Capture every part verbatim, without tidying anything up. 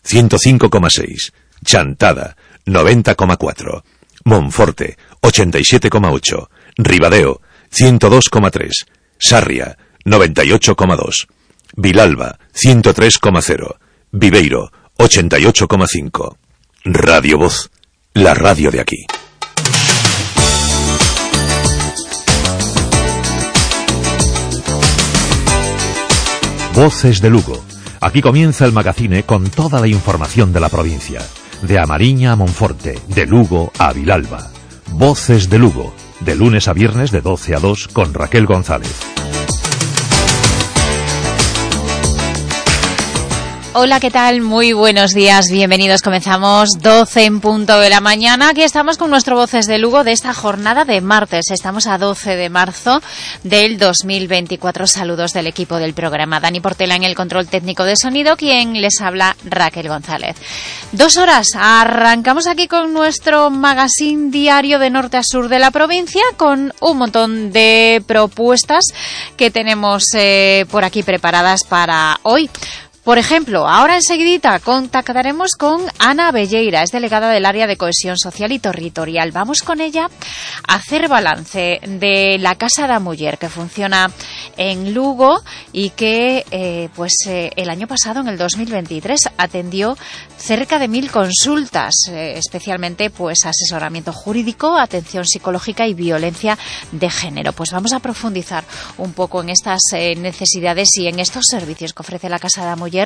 ciento cinco coma seis, Chantada noventa coma cuatro, Monforte ochenta y siete coma ocho, Ribadeo ciento dos coma tres, Sarria noventa y ocho coma dos, Vilalba ciento tres coma cero, Viveiro ochenta y ocho coma cinco. Radio Voz, la radio de aquí. Voces de Lugo. Aquí comienza el magazine con toda la información de la provincia. De A Mariña a Monforte, de Lugo a Vilalba. Voces de Lugo, de lunes a viernes de doce a dos con Raquel González. Hola, ¿qué tal? Muy buenos días, bienvenidos. Comenzamos doce en punto de la mañana. Aquí estamos con nuestro Voces de Lugo de esta jornada de martes. Estamos a doce de marzo del dos mil veinticuatro. Saludos del equipo del programa. Dani Portela en el control técnico de sonido, quien les habla, Raquel González. Dos horas. Arrancamos aquí con nuestro magazine diario de norte a sur de la provincia, con un montón de propuestas que tenemos eh, por aquí preparadas para hoy. Por ejemplo, ahora enseguidita contactaremos con Ana Belleira, es delegada del área de cohesión social y territorial. Vamos con ella a hacer balance de la Casa da Muller, que funciona en Lugo y que eh, pues eh, el año pasado, en el dos mil veintitrés, atendió cerca de mil consultas, eh, especialmente pues asesoramiento jurídico, atención psicológica y violencia de género. Pues vamos a profundizar un poco en estas eh, necesidades y en estos servicios que ofrece la Casa da Muller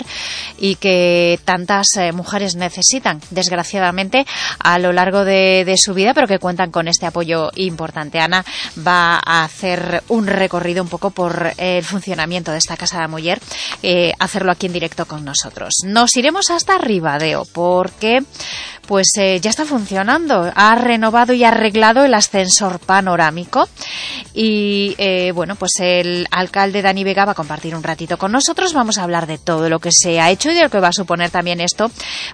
y que tantas eh, mujeres necesitan, desgraciadamente, a lo largo de, de su vida, pero que cuentan con este apoyo importante. Ana va a hacer un recorrido un poco por eh, el funcionamiento de esta Casa da Muller, eh, hacerlo aquí en directo con nosotros. Nos iremos hasta Ribadeo, porque pues eh, ya está funcionando. Ha renovado y arreglado el ascensor panorámico y eh, bueno, pues el alcalde Dani Vega va a compartir un ratito con nosotros. Vamos a hablar de todo lo que se ha hecho y de lo que va a suponer también esto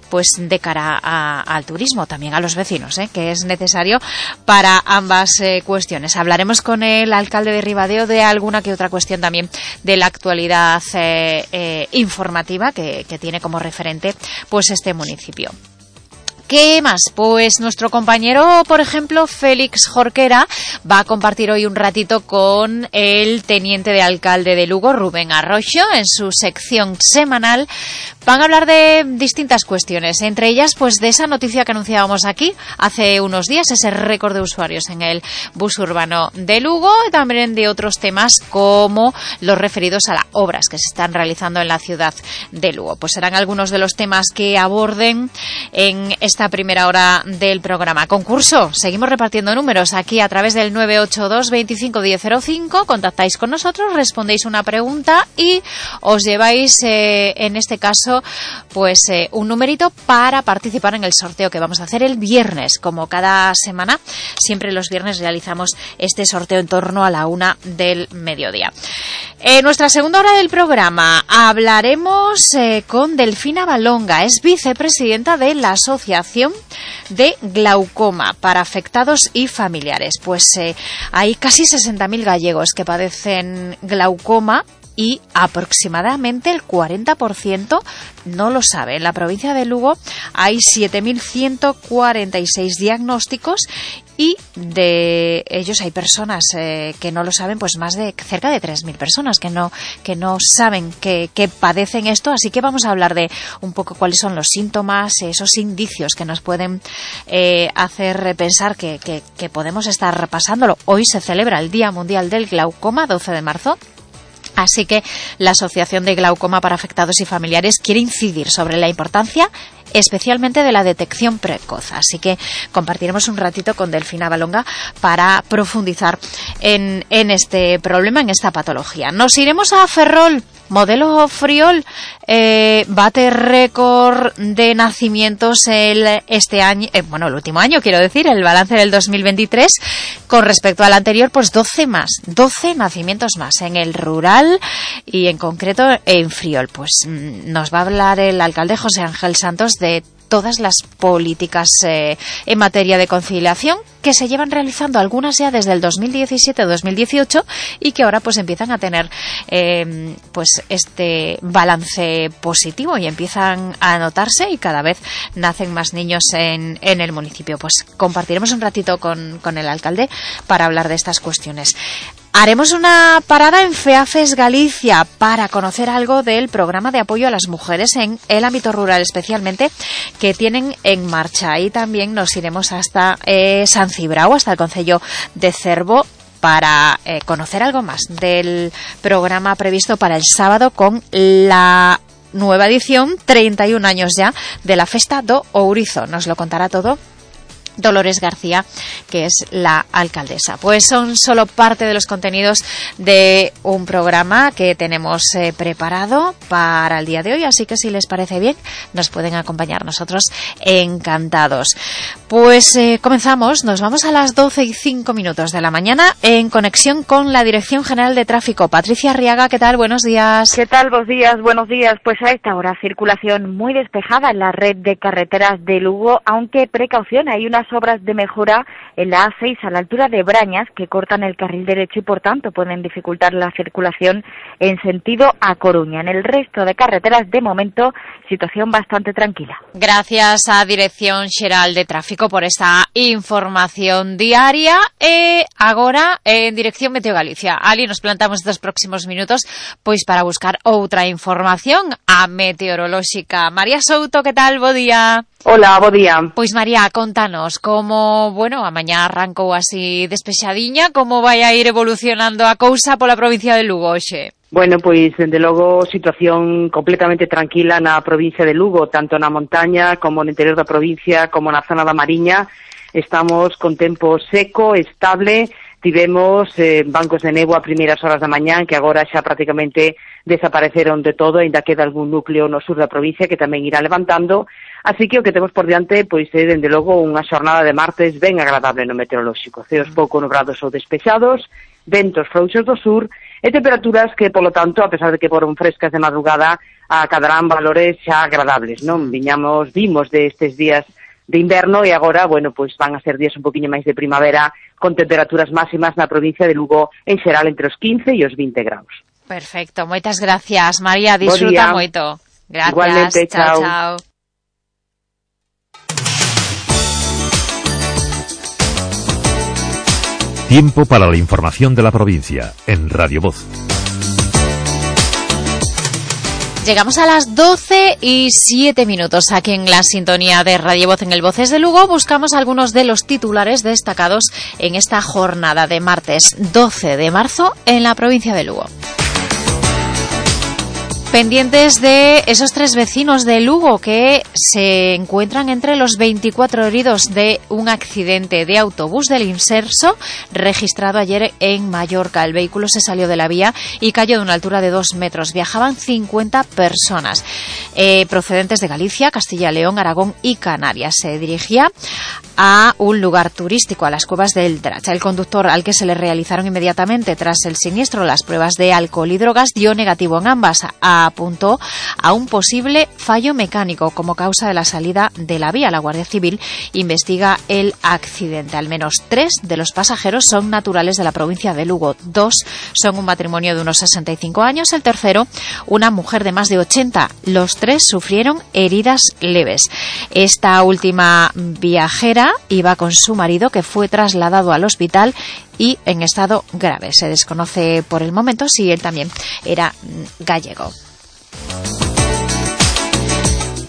pues de cara a, al turismo, también a los vecinos, ¿eh? que es necesario para ambas eh, cuestiones. Hablaremos con el alcalde de Ribadeo de alguna que otra cuestión también de la actualidad eh, eh, informativa que, que tiene como referente pues este municipio. ¿Qué más? Pues nuestro compañero, por ejemplo, Félix Jorquera, va a compartir hoy un ratito con el teniente de alcalde de Lugo, Rubén Arroyo, en su sección semanal. Van a hablar de distintas cuestiones, entre ellas pues de esa noticia que anunciábamos aquí hace unos días, ese récord de usuarios en el bus urbano de Lugo, y también de otros temas como los referidos a las obras que se están realizando en la ciudad de Lugo. Pues serán algunos de los temas que aborden en esta esta primera hora del programa. Concurso, seguimos repartiendo números aquí a través del nueve ocho dos, veinticinco diez cero cinco, contactáis con nosotros, respondéis una pregunta y os lleváis eh, en este caso pues eh, un numerito para participar en el sorteo que vamos a hacer el viernes. Como cada semana, siempre los viernes realizamos este sorteo en torno a la una del mediodía. En nuestra segunda hora del programa hablaremos eh, con Delfina Balonga, es vicepresidenta de la Asociación de Glaucoma para afectados y familiares. Pues eh, hay casi sesenta mil gallegos que padecen glaucoma y aproximadamente el cuarenta por ciento no lo sabe. En la provincia de Lugo hay siete mil ciento cuarenta y seis diagnósticos y de ellos hay personas eh, que no lo saben, pues más de cerca de tres mil personas que no que no saben que, que padecen esto. Así que vamos a hablar de un poco cuáles son los síntomas, esos indicios que nos pueden eh, hacer pensar que, que, que podemos estar pasándolo. Hoy se celebra el Día Mundial del Glaucoma, doce de marzo. Así que la Asociación de Glaucoma para Afectados y Familiares quiere incidir sobre la importancia especialmente de la detección precoz. Así que compartiremos un ratito con Delfina Balonga para profundizar en, en este problema, en esta patología. Nos iremos a Ferrol. Modelo Friol eh, bate récord de nacimientos el, este año, eh, bueno, el último año, quiero decir, el balance del dos mil veintitrés, con respecto al anterior, pues doce más, doce nacimientos más en el rural y en concreto en Friol. Pues nos va a hablar el alcalde José Ángel Santos de todas las políticas eh, en materia de conciliación que se llevan realizando, algunas ya desde el dos mil diecisiete o dos mil dieciocho, y que ahora pues empiezan a tener eh, pues este balance positivo y empiezan a notarse, y cada vez nacen más niños en, en el municipio. Pues compartiremos un ratito con, con el alcalde para hablar de estas cuestiones. Haremos una parada en FEAFES Galicia para conocer algo del programa de apoyo a las mujeres en el ámbito rural, especialmente, que tienen en marcha. Y también nos iremos hasta eh, San Cibrao, hasta el concello de Cervo, para eh, conocer algo más del programa previsto para el sábado con la nueva edición, treinta y un años ya, de la Festa do Ourizo. Nos lo contará todo Dolores García, que es la alcaldesa. Pues son solo parte de los contenidos de un programa que tenemos eh, preparado para el día de hoy, así que si les parece bien, nos pueden acompañar. Nosotros encantados. Pues eh, comenzamos, nos vamos a las doce y cinco minutos de la mañana en conexión con la Dirección General de Tráfico. Patricia Arriaga, ¿qué tal? Buenos días. ¿Qué tal? Buenos días, buenos días. Pues a esta hora circulación muy despejada en la red de carreteras de Lugo, aunque precaución, hay unas obras de mejora en la A seis a la altura de Brañas que cortan el carril derecho y por tanto pueden dificultar la circulación en sentido a Coruña. En el resto de carreteras, de momento, situación bastante tranquila. Gracias a Dirección Xeral de Tráfico por esta información diaria. E agora, en Dirección Meteo Galicia, Ali, nos plantamos estos próximos minutos pois para buscar outra información a meteorolóxica. María Souto, que tal? Bo día. Hola, bo día. Pois María, contanos como, bueno, a mañá arrancou así despexadiña, como vai a ir evolucionando a cousa pola provincia de Lugo hoxe? Bueno, pois, dende logo, situación completamente tranquila na provincia de Lugo, tanto na montaña como no interior da provincia, como na zona da Mariña. Estamos con tempo seco, estable. Tivemos eh, bancos de néboa a primeiras horas da mañá, que agora xa prácticamente desapareceron de todo, ainda queda algún núcleo no sur da provincia que tamén irá levantando. Así que o que temos por diante, pois é, dende logo, unha xornada de martes ben agradable no meteorolóxico. Ceos pouco nubrados ou despexados, ventos frouxos do sur e temperaturas que, polo tanto, a pesar de que foron frescas de madrugada, acadarán valores xa agradables, non? Viñamos, vimos de estes días de inverno e agora, bueno, pois van a ser días un poquinho máis de primavera con temperaturas máximas na provincia de Lugo en xeral entre os quince e os vinte graus. Perfecto, moitas gracias, María, disfruta moito. Gracias. Igualmente, chao, chao. chao. Tiempo para la información de la provincia en Radio Voz. Llegamos a las doce y siete minutos aquí en la sintonía de Radio Voz en el Voces de Lugo. Buscamos algunos de los titulares destacados en esta jornada de martes doce de marzo en la provincia de Lugo. Pendientes de esos tres vecinos de Lugo que se encuentran entre los veinticuatro heridos de un accidente de autobús del Inserso registrado ayer en Mallorca. El vehículo se salió de la vía y cayó de una altura de dos metros. Viajaban cincuenta personas eh, procedentes de Galicia, Castilla y León, Aragón y Canarias. Se dirigía a un lugar turístico, a las cuevas del Dracha. El conductor, al que se le realizaron inmediatamente tras el siniestro las pruebas de alcohol y drogas, dio negativo en ambas. Apuntó a un posible fallo mecánico como causa de la salida de la vía. La Guardia Civil investiga el accidente. Al menos tres de los pasajeros son naturales de la provincia de Lugo. Dos son un matrimonio de unos sesenta y cinco años. El tercero, una mujer de más de ochenta. Los tres sufrieron heridas leves. Esta última viajera iba con su marido, que fue trasladado al hospital y en estado grave. Se desconoce por el momento si él también era gallego.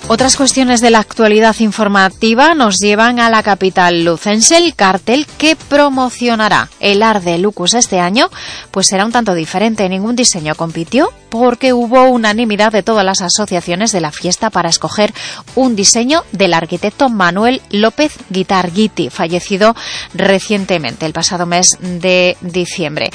Otras cuestiones de la actualidad informativa nos llevan a la capital lucense. El cartel que promocionará el Arde Lucus este año pues será un tanto diferente. Ningún diseño compitió porque hubo unanimidad de todas las asociaciones de la fiesta para escoger un diseño del arquitecto Manuel López Guitarguiti, fallecido recientemente, el pasado mes de diciembre.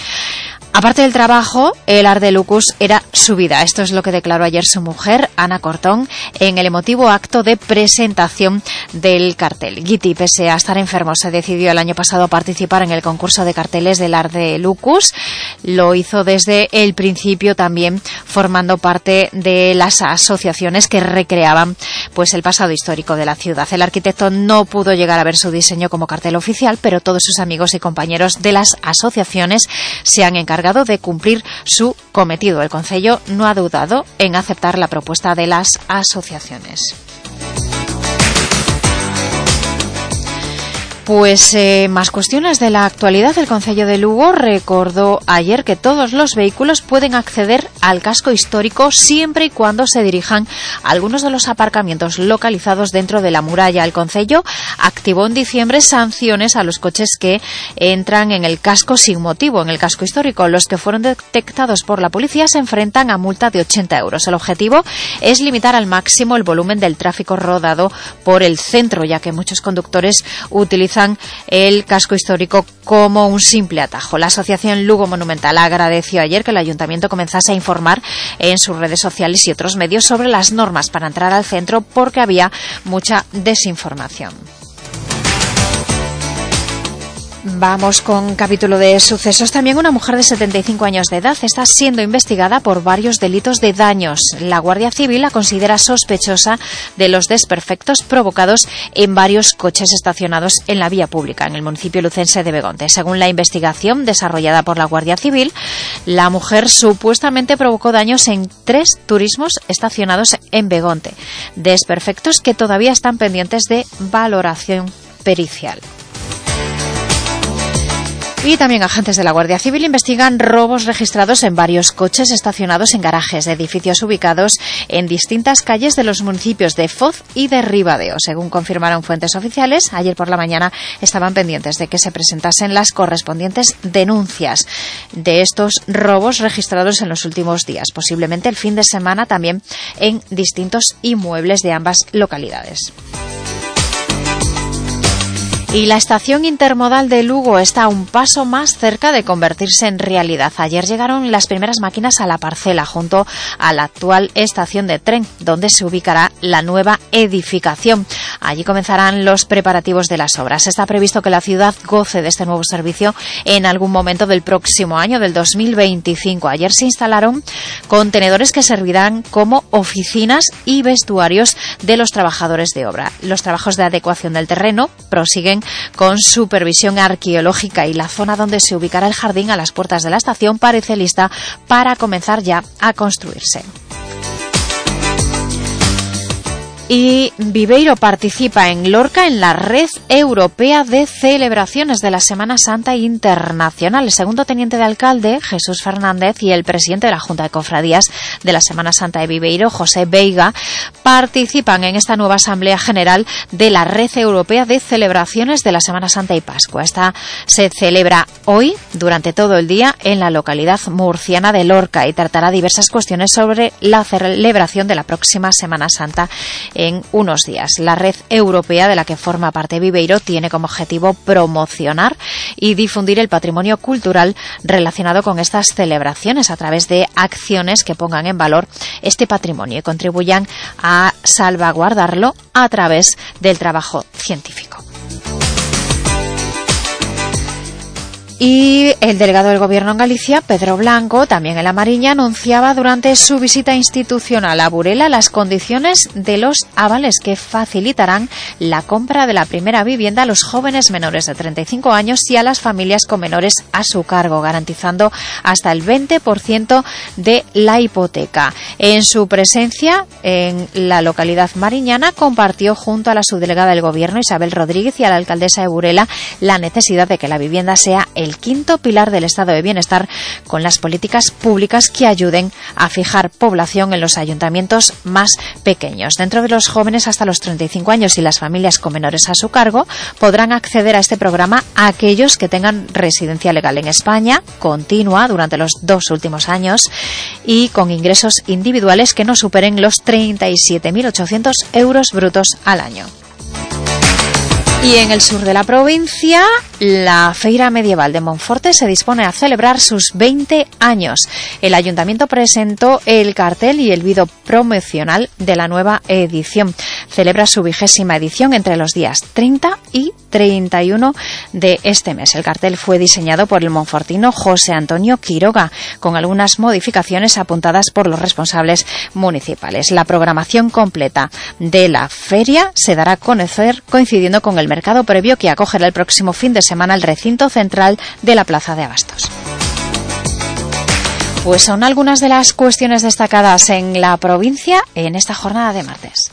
Aparte del trabajo, el Art de Lucus era su vida. Esto es lo que declaró ayer su mujer, Ana Cortón, en el emotivo acto de presentación del cartel. Guiti, pese a estar enfermo, se decidió el año pasado a participar en el concurso de carteles del Art de Lucus. Lo hizo desde el principio, también formando parte de las asociaciones que recreaban pues el pasado histórico de la ciudad. El arquitecto no pudo llegar a ver su diseño como cartel oficial, pero todos sus amigos y compañeros de las asociaciones se han encargado de cumplir su cometido. El concello no ha dudado en aceptar la propuesta de las asociaciones. Pues eh, más cuestiones de la actualidad. El concello de Lugo recordó ayer que todos los vehículos pueden acceder al casco histórico siempre y cuando se dirijan a algunos de los aparcamientos localizados dentro de la muralla. El concello activó en diciembre sanciones a los coches que entran en el casco sin motivo, en el casco histórico. Los que fueron detectados por la policía se enfrentan a multa de ochenta euros. El objetivo es limitar al máximo el volumen del tráfico rodado por el centro, ya que muchos conductores utilizan el casco histórico como un simple atajo. La Asociación Lugo Monumental agradeció ayer que el Ayuntamiento comenzase a informar en sus redes sociales y otros medios sobre las normas para entrar al centro, porque había mucha desinformación. Vamos con capítulo de sucesos. También una mujer de setenta y cinco años de edad está siendo investigada por varios delitos de daños. La Guardia Civil la considera sospechosa de los desperfectos provocados en varios coches estacionados en la vía pública en el municipio lucense de Begonte. Según la investigación desarrollada por la Guardia Civil, la mujer supuestamente provocó daños en tres turismos estacionados en Begonte. Desperfectos que todavía están pendientes de valoración pericial. Y también agentes de la Guardia Civil investigan robos registrados en varios coches estacionados en garajes de edificios ubicados en distintas calles de los municipios de Foz y de Ribadeo. Según confirmaron fuentes oficiales, ayer por la mañana estaban pendientes de que se presentasen las correspondientes denuncias de estos robos registrados en los últimos días, posiblemente el fin de semana también en distintos inmuebles de ambas localidades. Y la estación intermodal de Lugo está un paso más cerca de convertirse en realidad. Ayer llegaron las primeras máquinas a la parcela, junto a la actual estación de tren, donde se ubicará la nueva edificación. Allí comenzarán los preparativos de las obras. Está previsto que la ciudad goce de este nuevo servicio en algún momento del próximo año, del dos mil veinticinco. Ayer se instalaron contenedores que servirán como oficinas y vestuarios de los trabajadores de obra. Los trabajos de adecuación del terreno prosiguen con supervisión arqueológica, y la zona donde se ubicará el jardín a las puertas de la estación parece lista para comenzar ya a construirse. Y Viveiro participa en Lorca en la Red Europea de Celebraciones de la Semana Santa Internacional. El segundo teniente de alcalde, Jesús Fernández, y el presidente de la Junta de Cofradías de la Semana Santa de Viveiro, José Veiga, participan en esta nueva Asamblea General de la Red Europea de Celebraciones de la Semana Santa y Pascua. Esta se celebra hoy durante todo el día en la localidad murciana de Lorca y tratará diversas cuestiones sobre la celebración de la próxima Semana Santa en unos días. La red europea de la que forma parte Viveiro tiene como objetivo promocionar y difundir el patrimonio cultural relacionado con estas celebraciones a través de acciones que pongan en valor este patrimonio y contribuyan a salvaguardarlo a través del trabajo científico. Y el delegado del Gobierno en Galicia, Pedro Blanco, también en La Mariña, anunciaba durante su visita institucional a Burela las condiciones de los avales que facilitarán la compra de la primera vivienda a los jóvenes menores de treinta y cinco años y a las familias con menores a su cargo, garantizando hasta el veinte por ciento de la hipoteca. En su presencia en la localidad mariñana, compartió junto a la subdelegada del Gobierno, Isabel Rodríguez, y a la alcaldesa de Burela la necesidad de que la vivienda sea el el quinto pilar del estado de bienestar, con las políticas públicas que ayuden a fijar población en los ayuntamientos más pequeños. Dentro de los jóvenes hasta los treinta y cinco años y las familias con menores a su cargo, podrán acceder a este programa a aquellos que tengan residencia legal en España, continua durante los dos últimos años, y con ingresos individuales que no superen los treinta y siete mil ochocientos euros brutos al año. Y en el sur de la provincia, La Feira Medieval de Monforte se dispone a celebrar sus veinte años. El Ayuntamiento presentó el cartel y el vídeo promocional de la nueva edición. Celebra su vigésima edición entre los días treinta y treinta y uno de este mes. El cartel fue diseñado por el monfortino José Antonio Quiroga, con algunas modificaciones apuntadas por los responsables municipales. La programación completa de la feria se dará a conocer coincidiendo con el mercado previo que acogerá el próximo fin de semana el recinto central de la Plaza de Abastos. Pues son algunas de las cuestiones destacadas en la provincia en esta jornada de martes.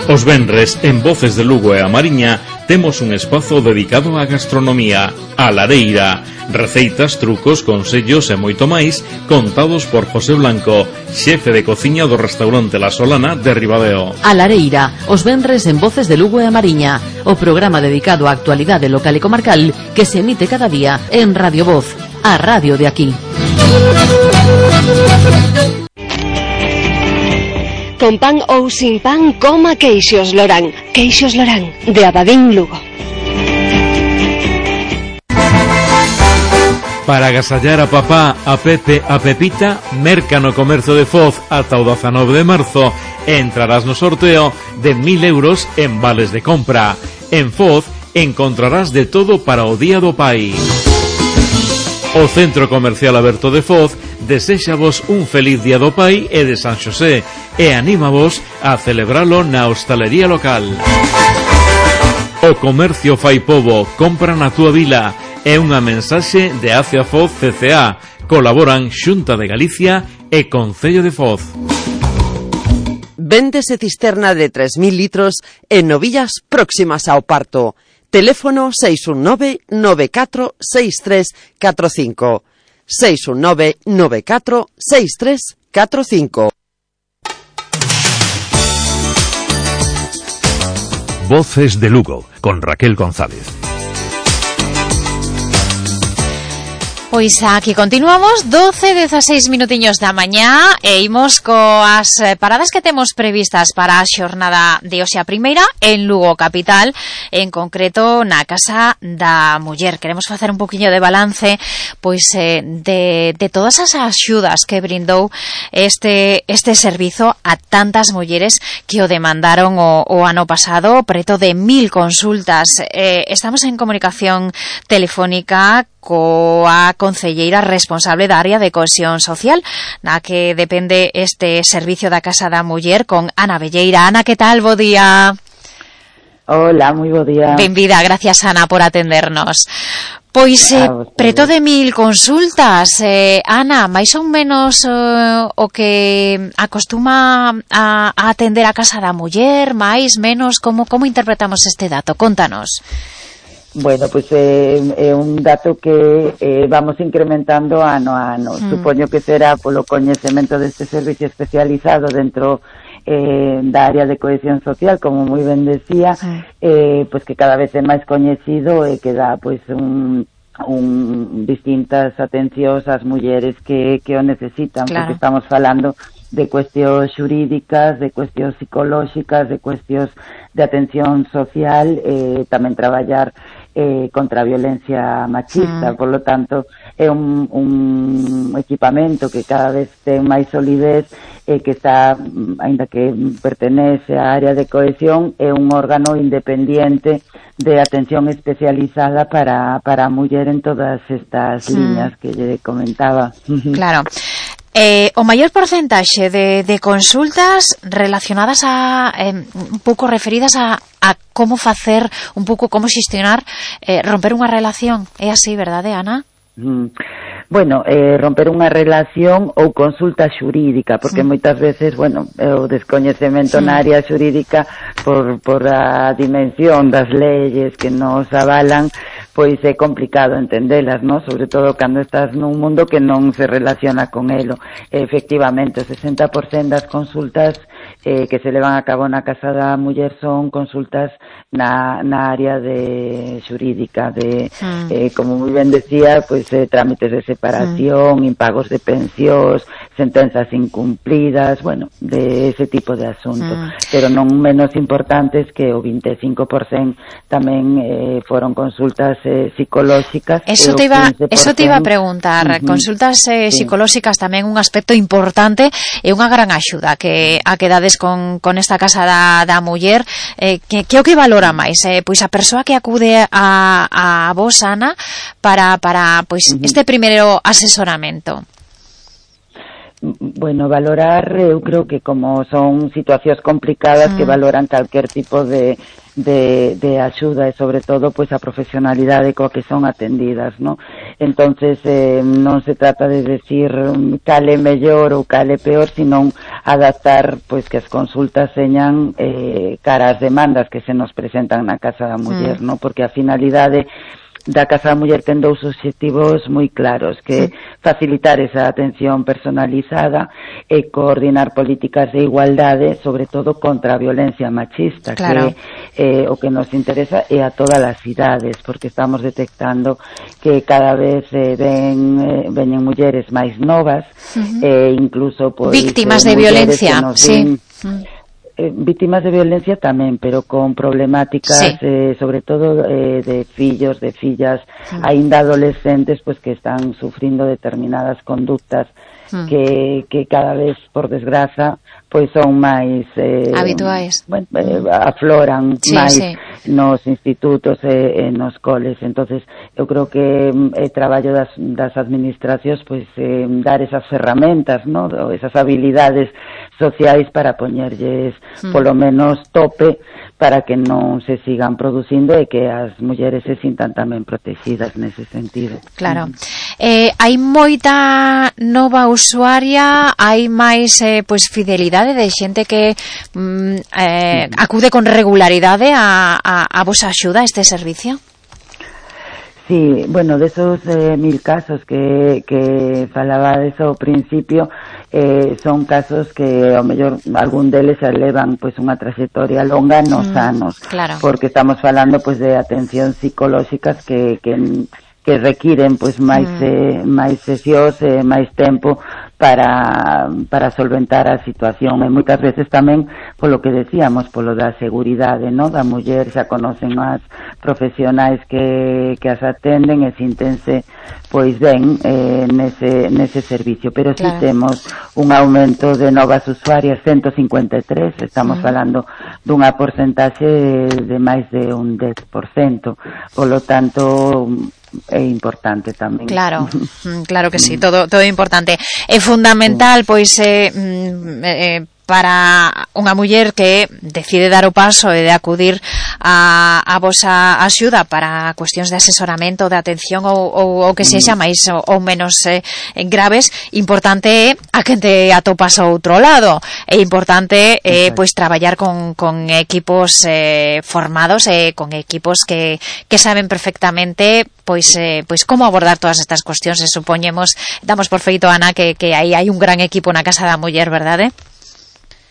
Os venres, en Voces de Lugo e a Mariña, temos un espazo dedicado á gastronomía, a Lareira. Receitas, trucos, consellos e moito máis, contados por José Blanco, xefe de cociña do restaurante La Solana de Ribadeo. A Lareira, os venres en Voces de Lugo e a Mariña, o programa dedicado á actualidade local e comarcal que se emite cada día en Radio Voz, a radio de aquí. Con pan ou sin pan, coma queixos Lorán. Queixos Lorán, de Abadín, Lugo. Para agasallar a papá, a Pepe, a Pepita, merca no comercio de Foz ata o dezanove de marzo e entrarás no sorteo de mil euros en vales de compra. En Foz encontrarás de todo para o Día do Pai. O Centro Comercial Aberto de Foz deséxavos un feliz Día do Pai e de San Xosé e anímavos a celebralo na hostalería local. O comercio fai pobo, compra na túa vila. É unha mensaxe de Acia Foz C C A. Colaboran Xunta de Galicia e Concello de Foz. Véndese cisterna de tres mil litros en novillas próximas ao parto. Teléfono seis un nove nove catro seis tres catro cinco. seis un nove nove catro seis tres catro cinco. Voces de Lugo, con Raquel González. Pois aquí continuamos, doce, dezaseis minutiños da mañá e imos coas paradas que temos previstas para a xornada de hoxe a primeira en Lugo capital, en concreto na Casa da Muller. Queremos facer un poquinho de balance pois eh, de, de todas as axudas que brindou este este servizo a tantas mulleres que o demandaron o, o ano pasado, preto de mil consultas. Eh, estamos en comunicación telefónica coa concelleira responsable da área de cohesión social, na que depende este servicio da Casa da Muller, con Ana Velleira. Ana, que tal? Bo día. Hola, moi bo día. Benvida, gracias Ana por atendernos. Pois eh, preto de mil consultas, eh, Ana, máis ou menos eh, o que acostuma a, a atender a Casa da Muller, máis, menos, como, como interpretamos este dato? Contanos. Bueno, pois pues, é, é un dato que eh, vamos incrementando ano a ano. Mm. Supoño que será polo coñecemento deste servicio especializado dentro eh, da área de cohesión social, como moi ben decía, mm. eh, pois pues que cada vez é máis coñecido e que dá pois pues, un, un distintas atencións ás mulleres que, que o necesitan, claro. Porque estamos falando de cuestións xurídicas, de cuestións psicolóxicas, de cuestións de atención social, eh, tamén traballar eh, contra a violencia machista, mm. por lo tanto é un, un equipamento que cada vez ten máis solidez e eh, que está, aínda que pertenece á área de cohesión, é un órgano independiente de atención especializada para, para a muller en todas estas mm. liñas que lle comentaba. Claro. Eh, o maior porcentaxe de, de consultas relacionadas a eh, un pouco referidas a, a como facer, un pouco como xestionar, eh, romper unha relación. É así, verdade, Ana? Mm. Bueno, eh, romper unha relación ou consulta xurídica, porque mm. moitas veces, bueno, o descoñecemento mm. na área xurídica por, por a dimensión das leyes que nos avalan, pois é complicado entendelas, ¿no? Sobre todo cando estás nun mundo que non se relaciona con elo. Efectivamente, o sesenta por cento das consultas eh, que se levan a cabo na Casa da Muller son consultas na, na área de xurídica, de, mm. eh, como moi ben decía, pois eh, trámites de separación, mm. impagos de pensións, sentenzas incumplidas, bueno, de ese tipo de asunto. Mm. Pero non menos importantes que o vinte e cinco por cento tamén eh, foron consultas eh, psicolóxicas. Eso te iba, eso te iba a preguntar. Uh-huh. Consultas eh, sí. psicolóxicas tamén un aspecto importante e unha gran axuda que a que dades con, con esta Casa da, da Muller. Eh, que, que o que valora máis? Eh, pois a persoa que acude a, a vos, Ana, para, para pois uh-huh. este primeiro asesoramento. Bueno, valorar, eu creo que como son situacións complicadas mm. que valoran calquer tipo de, de, de axuda e sobre todo pois a profesionalidade coa que son atendidas, ¿no? Entonces eh, non se trata de decir cale mellor ou cale peor, sino adaptar pois que as consultas señan eh, cara ás demandas que se nos presentan na Casa da Muller, mm. ¿no? Porque a finalidade da Casa da Muller ten dous obxectivos moi claros, que sí. facilitar esa atención personalizada e coordinar políticas de igualdade, sobre todo contra a violencia machista, claro. que eh, o que nos interesa é a todas as idades, porque estamos detectando que cada vez eh, ven, eh, veñen mulleres máis novas, uh-huh. e incluso pois, víctimas eh, de violencia, sí. Ven, Eh, víctimas de violencia tamén, pero con problemáticas sí. eh, sobre todo eh, de fillos, de fillas, sí. aínda adolescentes, pues que están sufrindo determinadas conductas mm. que, que cada vez, por desgraza, pois son máis eh, habituais, bueno, eh, afloran sí, máis sí. nos institutos e eh, nos coles. Entonces eu creo que é eh, traballo das, das administracións pois eh, dar esas ferramentas, ¿no? Esas habilidades sociais para poñerlles mm. polo menos tope para que non se sigan producindo e que as mulleres se sintan tamén protegidas nese sentido. Claro. Mm. Eh, hai moita nova usuaria, hai máis eh, pois fidelidade de xente que mm, eh, acude con regularidade a, a, a vosa axuda a este servicio? Sí, bueno, de esos eh, mil casos que, que falaba de eso ao principio, eh, son casos que ao mellor algún deles elevan pois unha trayectoria longa nos mm, anos, claro. porque estamos falando pois de atención psicolóxicas que, que que requiren pois máis mm. eh, máis sesións e eh, máis tempo para para solventar a situación, e moitas veces tamén polo que decíamos, polo da seguridade, ¿no? Da muller, xa conocen as profesionais que, que as atenden e sintense pois ben eh, nese, nese servicio, pero claro. si temos un aumento de novas usuarias, ciento cincuenta e tres, estamos mm. falando dunha porcentaxe de máis de un dez por cento, polo tanto é importante tamén. Claro, claro que sí, todo todo é importante. É fundamental, pois, eh, eh, para unha muller que decide dar o paso e de acudir a, a vosa axuda para cuestións de asesoramento, de atención ou, ou, ou que sexa máis ou, ou menos eh, graves, importante é a que te atopas ao outro lado. É importante eh, pois traballar con, con equipos eh, formados e eh, con equipos que, que saben perfectamente pois eh, pois como abordar todas estas cuestións. E supoñemos, damos por feito, Ana, que, que aí hai un gran equipo na Casa da Muller, verdade?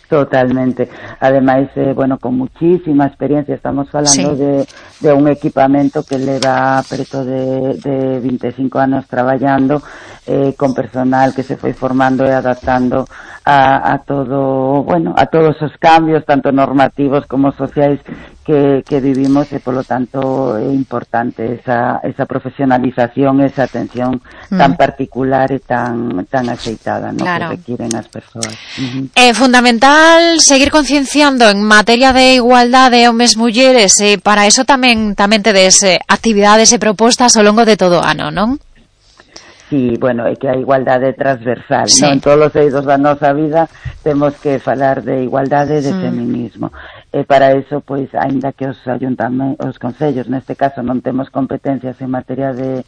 Totalmente. Ademais, eh, bueno, con muchísima experiencia, estamos falando sí. de, de un equipamento que leva preto de, de vinte e cinco anos traballando, eh, con personal que se foi formando e adaptando a, a todo, bueno, a todos os cambios, tanto normativos como sociais que, que vivimos, e polo tanto é importante esa, esa profesionalización, esa atención mm. tan particular e tan, tan axeitada, ¿no? Claro. Que requieren as persoas. Uh-huh. É fundamental seguir concienciando en materia de igualdade homes mulleres, e para eso tamén tamén tedes eh, actividades e propostas ao longo de todo o ano, non? Sí, bueno, é que a igualdade transversal, sí. non? En todos os eidos da nosa vida temos que falar de igualdade e de mm. feminismo. E para eso, pois, aínda que os ayuntamentos, os concellos, neste caso, non temos competencias en materia de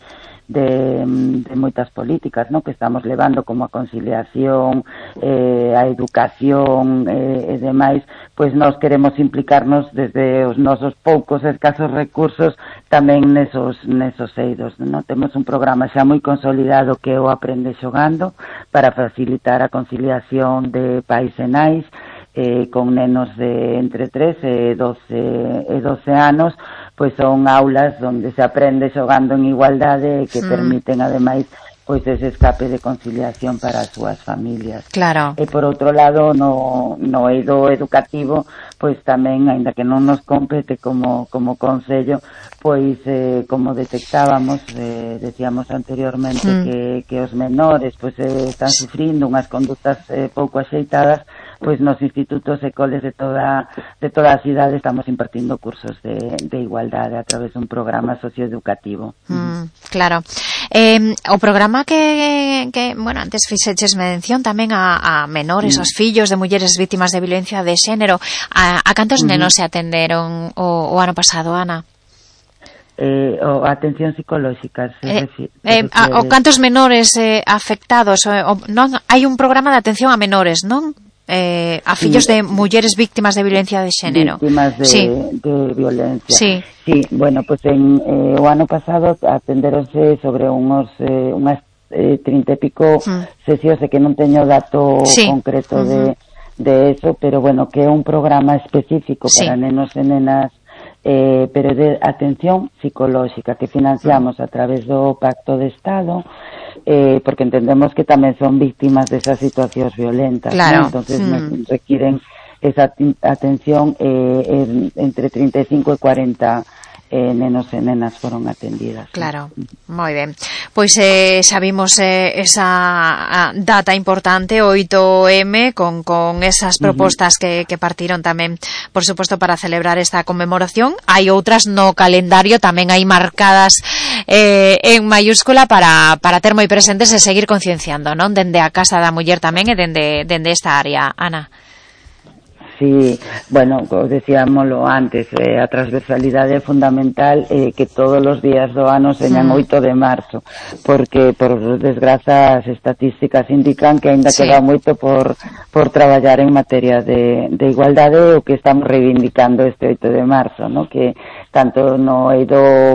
de, de moitas políticas, ¿no? Que estamos levando, como a conciliación, eh, a educación eh, e demais, pois nós queremos implicarnos desde os nosos poucos escasos recursos tamén nesos, nesos eidos, ¿no? Temos un programa xa moi consolidado que é o Aprende Xogando para facilitar a conciliación de pais e nais, eh, con nenos de entre tres e doce anos, pois son aulas onde se aprende xogando en igualdade que mm. permiten ademais pois ese escape de conciliación para as súas familias. Claro. E por outro lado, no, no eido educativo, pois tamén, aínda que non nos compete como, como concello, pois eh, como detectábamos, eh, decíamos anteriormente mm. que, que os menores pois eh, están sufrindo unhas condutas eh, pouco axeitadas, pois nos institutos e coles de toda de toda a cidade estamos impartindo cursos de, de igualdade a través dun programa socioeducativo. Mm, claro. Eh, o programa que, que, bueno, antes fixeches mención tamén a, a menores, mm. os fillos de mulleres vítimas de violencia de xénero. A, a cantos mm. nenos se atenderon o, o ano pasado, Ana? Eh, o atención psicolóxica se eh, refiere, eh, a, o cantos menores eh, afectados o, o, non, hai un programa de atención a menores, non? Eh, a fillos sí, de mulleres víctimas de violencia de xénero. Víctimas de, sí. de violencia. Sí. Sí, bueno, pues en eh, o ano pasado atenderonse sobre unos eh, unhas eh, trinta e pico mm. sesións, de que non teño dato sí. concreto uh -huh. de, de eso, pero bueno, que é un programa específico sí. para nenos e nenas, eh, pero de atención psicolóxica que financiamos a través do Pacto de Estado, eh, porque entendemos que tamén son víctimas desas situacións violentas, claro. ¿no? Entonces mm. requieren esa atención, eh, en, entre treinta e cinco e cuarenta eh, nenos e nenas foron atendidas. Claro, ¿sí? Moi ben. Pois eh, xa vimos eh, esa data importante, oito eme, con, con esas propostas uh -huh. que, que partiron tamén, por suposto, para celebrar esta conmemoración. Hai outras no calendario, tamén hai marcadas eh, en mayúscula para, para ter moi presentes e seguir concienciando, non? Dende a Casa da Muller tamén e dende, dende esta área, Ana. Sí, bueno, como decíamoslo antes, eh, a transversalidade é fundamental, eh, que todos os días do ano señan mm. oito de marzo, porque por desgraza as estatísticas indican que ainda sí. queda moito por por traballar en materia de, de igualdade, o que estamos reivindicando este oito de marzo, ¿no? Que tanto no eido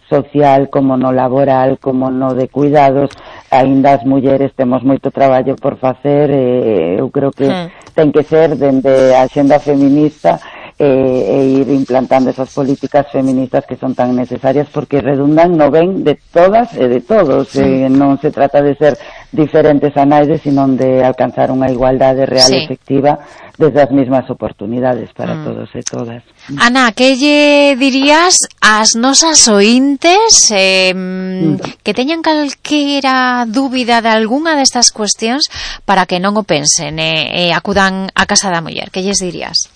social como no laboral como no de cuidados, aínda as mulleres temos moito traballo por facer, e eu creo que mm. ten que ser dende a axenda feminista e, e ir implantando esas políticas feministas que son tan necesarias, porque redundan no ben de todas e de todos, mm. e non se trata de ser diferentes a naide, sino de alcanzar unha igualdade real sí. e efectiva desde as mesmas oportunidades para mm. todos e todas. Ana, que lle dirías ás nosas ointes eh, mm. que teñan calquera dúbida de algunha destas cuestións para que non o pensen e eh, eh, acudan á Casa da Muller? Que lles dirías?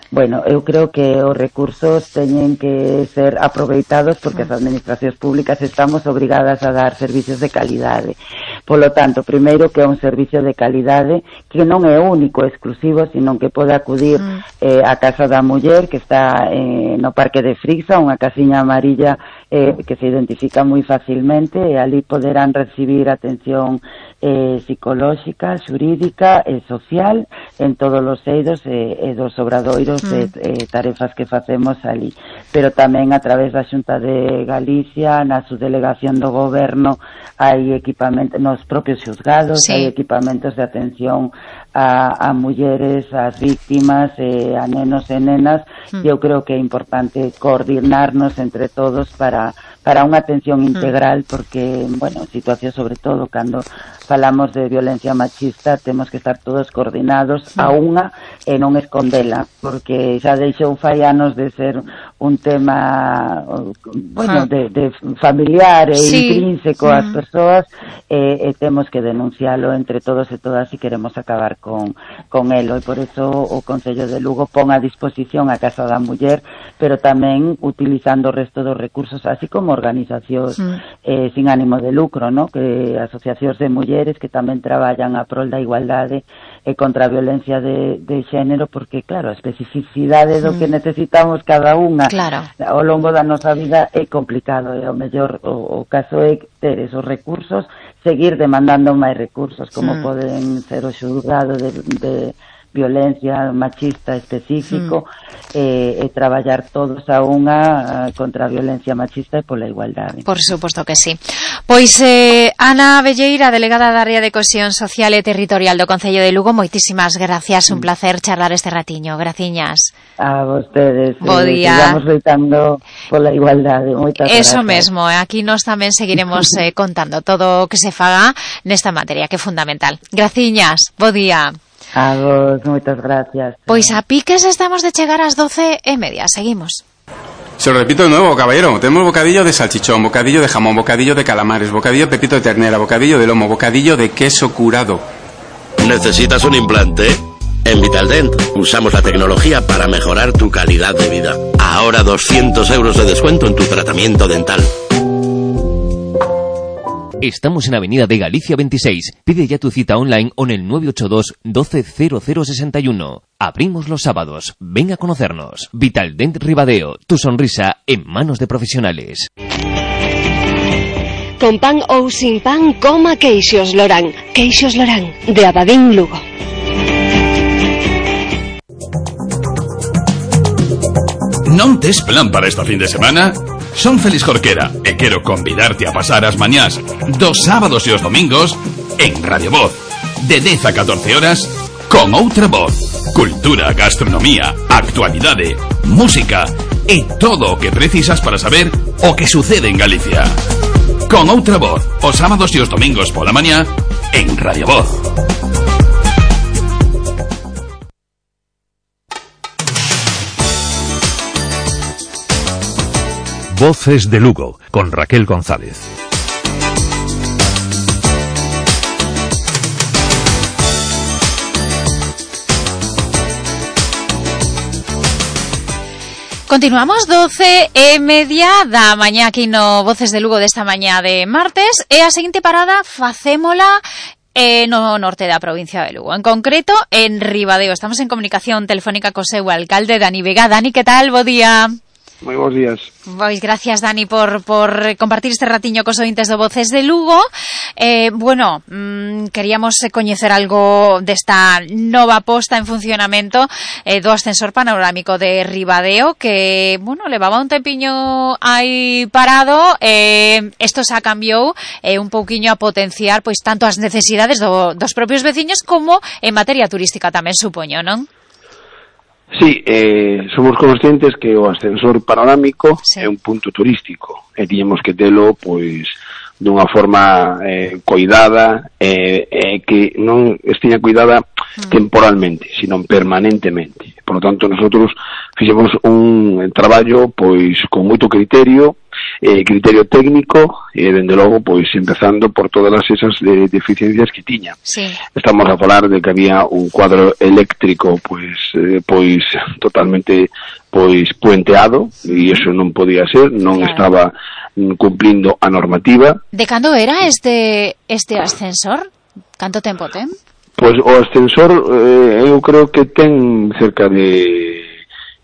Bueno, eu creo que os recursos teñen que ser aproveitados porque as administracións públicas estamos obrigadas a dar servicios de calidade. Polo tanto, primeiro, que é un servicio de calidade que non é único, exclusivo, sino que pode acudir eh, á Casa da Muller, que está eh, no Parque de Frixa, unha casiña amarilla eh, que se identifica moi facilmente, e ali poderán recibir atención eh, psicolóxica, xurídica e social en todos os eidos e, e dos obradoiros mm. e, e tarefas que facemos ali, pero tamén a través da Xunta de Galicia, na subdelegación do goberno, hai equipamentos nos propios xuzgados, sí. hai equipamentos de atención a, a mulleres, ás víctimas, eh, a nenos e nenas, mm. e eu creo que é importante coordinarnos entre todos para para unha atención integral, porque, bueno, situación sobre todo cando falamos de violencia machista, temos que estar todos coordinados a unha e non escondela, porque xa deixou fai anos de ser un tema, bueno, de, de familiar e sí. intrínseco ás persoas, e, e temos que denuncialo entre todos e todas se queremos acabar con, con elo, e por eso o Concello de Lugo pon a disposición a Casa da Muller, pero tamén utilizando o resto dos recursos, así como organizacións mm. eh, sin ánimo de lucro, ¿no? Que asociacións de mulleres que tamén traballan a prol da igualdade e contra a violencia de, de xénero, porque, claro, a especificidade do mm. que necesitamos cada unha claro. ao longo da nosa vida é complicado, e ao mellor o, o caso é ter esos recursos, seguir demandando máis recursos, como mm. poden ser o xulgado de, de violencia machista específico, mm. e, e traballar todos a unha contra a violencia machista e pola igualdade. Por suposto que sí. Pois eh, Ana Velleira, delegada da área de cohesión social e territorial do Concello de Lugo, moitísimas gracias, un placer charlar este ratiño. Graciñas. A vostedes. Bo día. Eh, sigamos loitando pola igualdade. Moitas Eso gracias. mesmo, aquí nós tamén seguiremos eh, contando todo o que se faga nesta materia, que é fundamental. Graciñas, bo día. A vos, moitas gracias. Pois a piques estamos de chegar ás doce e media, seguimos. Se lo repito de nuevo, caballero. Tenemos bocadillo de salchichón, bocadillo de jamón, bocadillo de calamares, bocadillo de pepito de ternera, bocadillo de lomo, bocadillo de queso curado. ¿Necesitas un implante? En Vitaldent usamos la tecnología para mejorar tu calidad de vida. Ahora doscientos euros de descuento en tu tratamiento dental. Estamos en Avenida de Galicia veintiséis. Pide ya tu cita online o en el nueve ocho dos, doce, cero cero sesenta y uno. Abrimos los sábados. Ven a conocernos. Vitaldent Ribadeo. Tu sonrisa en manos de profesionales. Con pan ou sin pan, coma Queixos Lorán. Queixos Lorán, de Abadín, Lugo. Non tes plan para esta fin de semana? Son Félix Jorquera e quero convidarte a pasar as mañás dos sábados e os domingos en Radio Voz, de dez a catorce horas, con outra voz. Cultura, gastronomía, actualidade, música e todo o que precisas para saber o que sucede en Galicia. Con outra voz, os sábados e os domingos pola mañá en Radio Voz. Voces de Lugo, con Raquel González. Continuamos doce e media da mañá aquí no Voces de Lugo desta mañá de martes, e a seguinte parada facémola eh, no norte da provincia de Lugo, en concreto en Ribadeo. Estamos en comunicación telefónica co seu alcalde, Dani Vega. Dani, que tal? Bo día. Moi bons días. Pois gracias, Dani, por, por compartir este ratiño cos ointes do Voces de Lugo. Eh, bueno, mmm, queríamos coñecer algo desta nova posta en funcionamento eh, do ascensor panorámico de Ribadeo, que, bueno, levaba un tempiño aí parado. Eh, esto xa cambiou eh, un pouquiño a potenciar pois tanto as necesidades do, dos propios veciños como en materia turística tamén, supoño, non? Sí, eh, somos conscientes que o ascensor panorámico sí. é un punto turístico e tiñemos que telo, pois, dunha forma eh, coidada e eh, eh, que non estiña cuidada mm. temporalmente, sino permanentemente. Por lo tanto, nosotros fixemos un traballo, pois, con moito criterio, eh, criterio técnico, e, dende logo, pois, empezando por todas esas eh, deficiencias que tiña. Sí. Estamos a falar de que había un cuadro eléctrico, pois, eh, pois, totalmente, pois, puenteado, e iso non podía ser, non claro. estaba cumplindo a normativa. De cando era este este ascensor? Canto tempo ten? Pois o ascensor, eh, eu creo que ten cerca de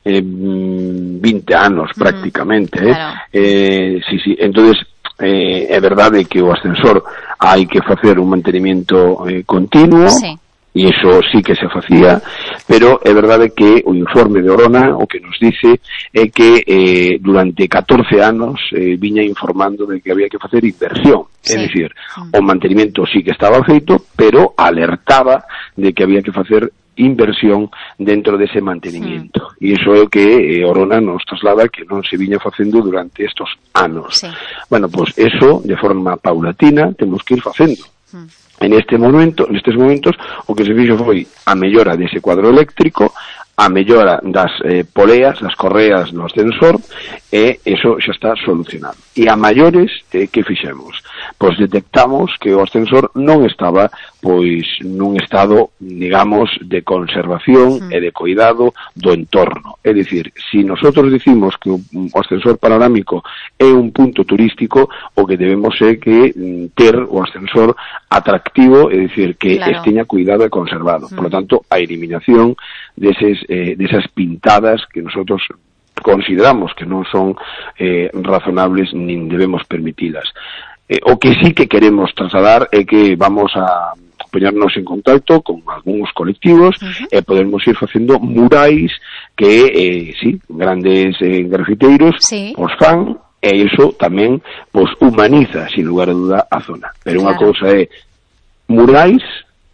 eh, vinte anos mm, prácticamente, claro. eh? Eh, sí, sí, entonces eh, é verdade que o ascensor hai que facer un mantenimiento eh, continuo, sí. E iso sí que se facía, pero é verdade que o informe de Orona o que nos dice é que eh, durante catorce anos eh, viña informando de que había que facer inversión, sí. É dicir, o mantenimiento sí que estaba feito, pero alertaba de que había que facer inversión dentro dese mantenimiento. Sí. E iso é o que eh, Orona nos traslada que non se viña facendo durante estos anos. Sí. Bueno, pois pues eso, de forma paulatina, temos que ir facendo. Sí. En este momento, nestes momentos, o que se fixo foi a mellora dese cuadro eléctrico, a mellora das eh, poleas, das correas do ascensor, e eso xa está solucionado. E a maiores, eh, que fixemos? Pois detectamos que o ascensor non estaba pois nun estado, digamos, de conservación mm. e de cuidado do entorno. É dicir, se si nosotros dicimos que o ascensor panorámico é un punto turístico, o que debemos é que ter o ascensor atractivo, é dicir, que claro. esteña cuidado e conservado. Mm. Por lo tanto, a eliminación deses, eh, desas pintadas que nosotros consideramos que non son eh, razonables nin debemos permitilas. Eh, o que sí que queremos trasladar é que vamos a poñernos en contacto con algúns colectivos uh-huh. e podermos ir facendo murais que, eh, sí, grandes eh, grafiteiros sí. os fan, e iso tamén pues, humaniza, sin lugar a duda, a zona. Pero claro. unha cousa é murais,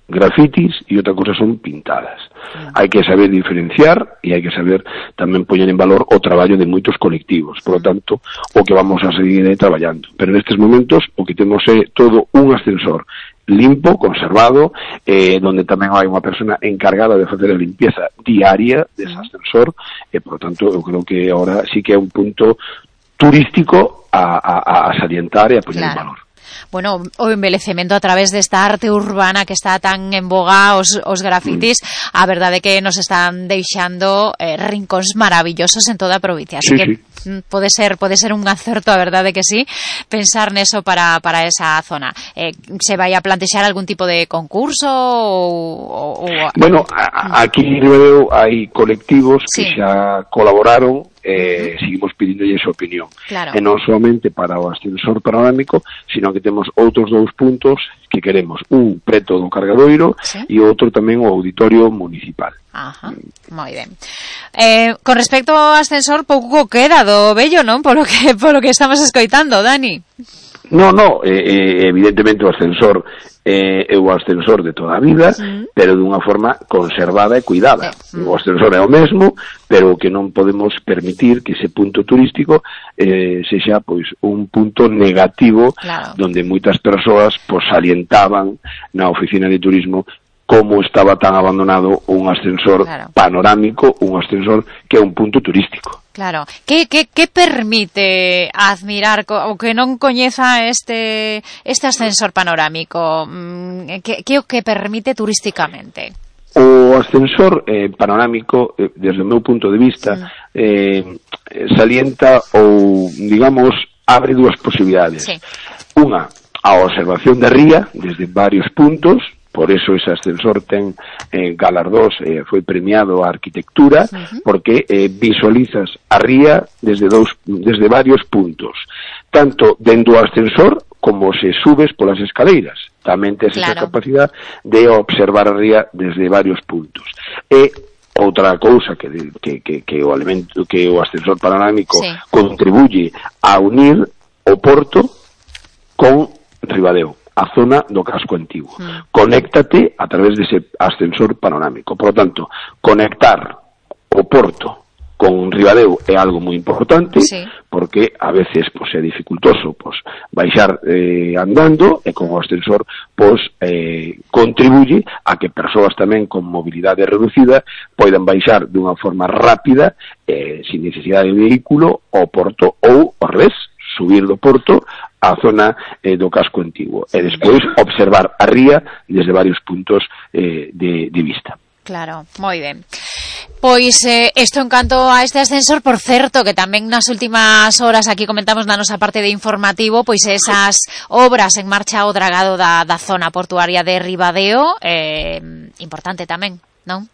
grafitis, e outra cosa son pintadas. Mm. Hai que saber diferenciar e hai que saber tamén poñer en valor o traballo de moitos colectivos. Por lo tanto, o que vamos a seguir eh, traballando. Pero nestes momentos o que temos é todo un ascensor limpo, conservado, eh, donde tamén hai unha persona encargada de facer a limpieza diaria dese ascensor, e por lo tanto eu creo que ahora sí que é un punto turístico a, a, a salientar e a poñer claro. en valor. Bueno, o envelecemento a través desta arte urbana que está tan en boga, os, os grafitis, mm. a verdade que nos están deixando eh, rincóns maravillosos en toda a provincia, así sí, que sí. pode ser pode ser un acerto, a verdade que sí, pensar neso para, para esa zona. Eh, se vai a plantexar algún tipo de concurso ou... ou... Bueno, a, aquí en Ribadeo hai colectivos sí. que xa colaboraron. Eh, uh-huh. seguimos pedindo esa opinión claro. e non solamente para o ascensor panorámico, sino que temos outros dous puntos que queremos, un preto do Cargadoiro ¿sí? e outro tamén o auditorio municipal. Ajá, moi ben. Eh, con respecto ao ascensor, pouco queda do vello, non? Polo que, polo que estamos escoitando, Dani. No, no, eh, evidentemente o ascensor eh, é o ascensor de toda a vida, sí. pero dunha forma conservada e cuidada. Sí. O ascensor é o mesmo, pero que non podemos permitir que ese punto turístico eh, sexa pois un punto negativo, claro. donde moitas persoas pois salientaban na oficina de turismo como estaba tan abandonado un ascensor claro. panorámico, un ascensor que é un punto turístico. Claro. Que, que, que permite admirar o que non coñeza este este ascensor panorámico? Que, que o que permite turísticamente? O ascensor eh, panorámico, eh, desde o meu punto de vista, sí. eh, salienta ou, digamos, abre dúas posibilidades. Sí. Unha, a observación da ría desde varios puntos. Por eso ese ascensor ten eh, galardós, eh, foi premiado a arquitectura, uh-huh. porque eh, visualizas a ría desde dous, desde varios puntos, tanto dentro do ascensor como se subes polas escaleiras. Tamén tes claro. esa capacidade de observar a ría desde varios puntos. E outra cousa que, que, que, que o elemento que o ascensor panorámico sí. contribuye a unir o Porto con Ribadeo, a zona do casco antigo. Mm. Conéctate a través dese ascensor panorámico. Por lo tanto, conectar o Porto con Ribadeo é algo moi importante, sí. porque a veces pues, é dificultoso pues, baixar eh, andando, e con o ascensor pues, eh, contribuye a que persoas tamén con mobilidade reducida poidan baixar dunha forma rápida, eh, sin necesidade de vehículo, ao Porto, ou ao revés, subir do Porto a zona eh, do casco antigo e despois observar a ría desde varios puntos eh, de, de vista. Claro, moi ben. Pois eh, isto en canto a este ascensor, por certo, que tamén nas últimas horas aquí comentamos na nosa parte de informativo, pois esas obras en marcha ao dragado da, da zona portuaria de Ribadeo, eh, importante tamén, non?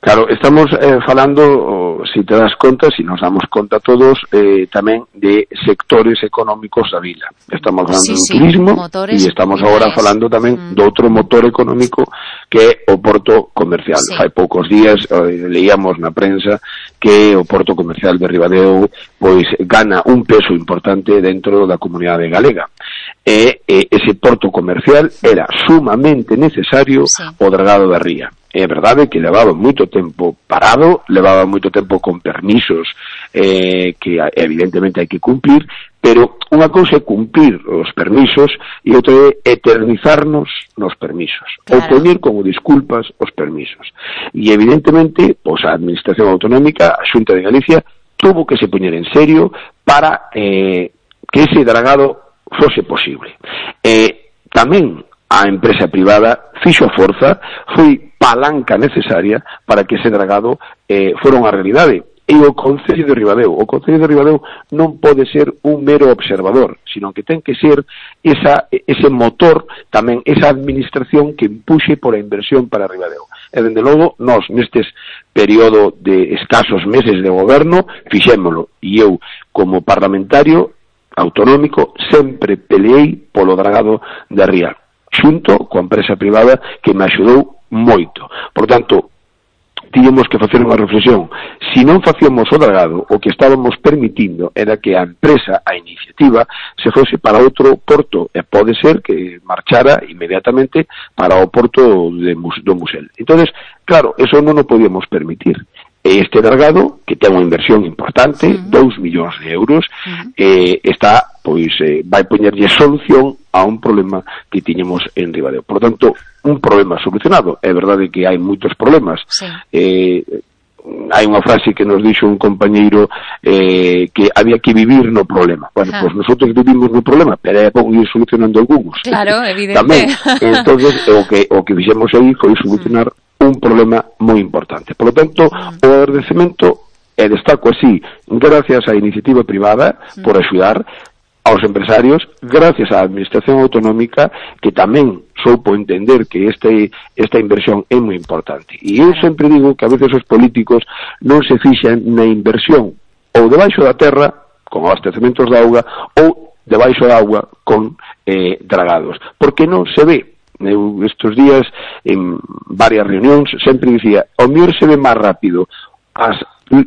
Claro, estamos eh, falando, se si te das conta, se si nos damos conta todos, eh, tamén de sectores económicos da vila. Estamos falando sí, do sí, turismo e estamos agora falando tamén mm. do outro motor económico que é o porto comercial. Sí. Hai poucos días eh, leíamos na prensa que o porto comercial de Ribadeo pois gana un peso importante dentro da comunidade galega. E eh, ese porto comercial era sumamente necesario sí. o dragado da ría. É verdade que levaba moito tempo parado, levaba moito tempo con permisos eh, que evidentemente hai que cumplir, pero unha cousa é cumplir os permisos e outra é eternizarnos nos permisos, claro. ou poñer como disculpas os permisos. E evidentemente, pois a Administración Autonómica, a Xunta de Galicia, tuvo que se poñer en serio para eh, que ese dragado fose posible. Eh, tamén a empresa privada fixo a forza, foi palanca necesaria para que ese dragado eh, fora unha realidade. E o Concello de Ribadeo, o Concello de Ribadeo non pode ser un mero observador, sino que ten que ser esa, ese motor, tamén esa administración que empuxe por a inversión para Ribadeo. E, dende logo, nós, nestes período de escasos meses de goberno, fixémolo. E eu, como parlamentario autonómico, sempre peleei polo dragado da ría. xunto coa empresa privada que me axudou moito. Por tanto, tiñamos que facer unha reflexión. Si non facíamos o dragado, o que estábamos permitindo era que a empresa, a iniciativa, se fose para outro porto, e pode ser que marchara inmediatamente para o porto de, do Musel. Entonces, claro, eso non o podíamos permitir. Este dragado, que ten unha inversión importante, uh-huh. dous millóns de euros, uh-huh. eh, está, pois, eh, vai poñerlle solución a un problema que tiñemos en Ribadeo. Por tanto, un problema solucionado. É verdade que hai moitos problemas. Sí. Eh, hai unha frase que nos dixo un compañeiro eh, que había que vivir no problema. Bueno, uh-huh. pois nosotros vivimos no problema, pero é pouco ir solucionando algúns. Claro, evidente. Tamén, entonces, o que, o que fixemos aí foi solucionar uh-huh. un problema moi importante. Por lo tanto, o agradecemento, e destaco así, gracias á iniciativa privada por axudar aos empresarios, gracias á administración autonómica, que tamén soupo entender que este, esta inversión é moi importante. E eu sempre digo que a veces os políticos non se fixan na inversión ou debaixo da terra, con abastecementos de auga, ou debaixo da auga con eh, dragados, porque non se ve. Eu estes días en varias reunións sempre dicía, o mellor se ve máis rápido as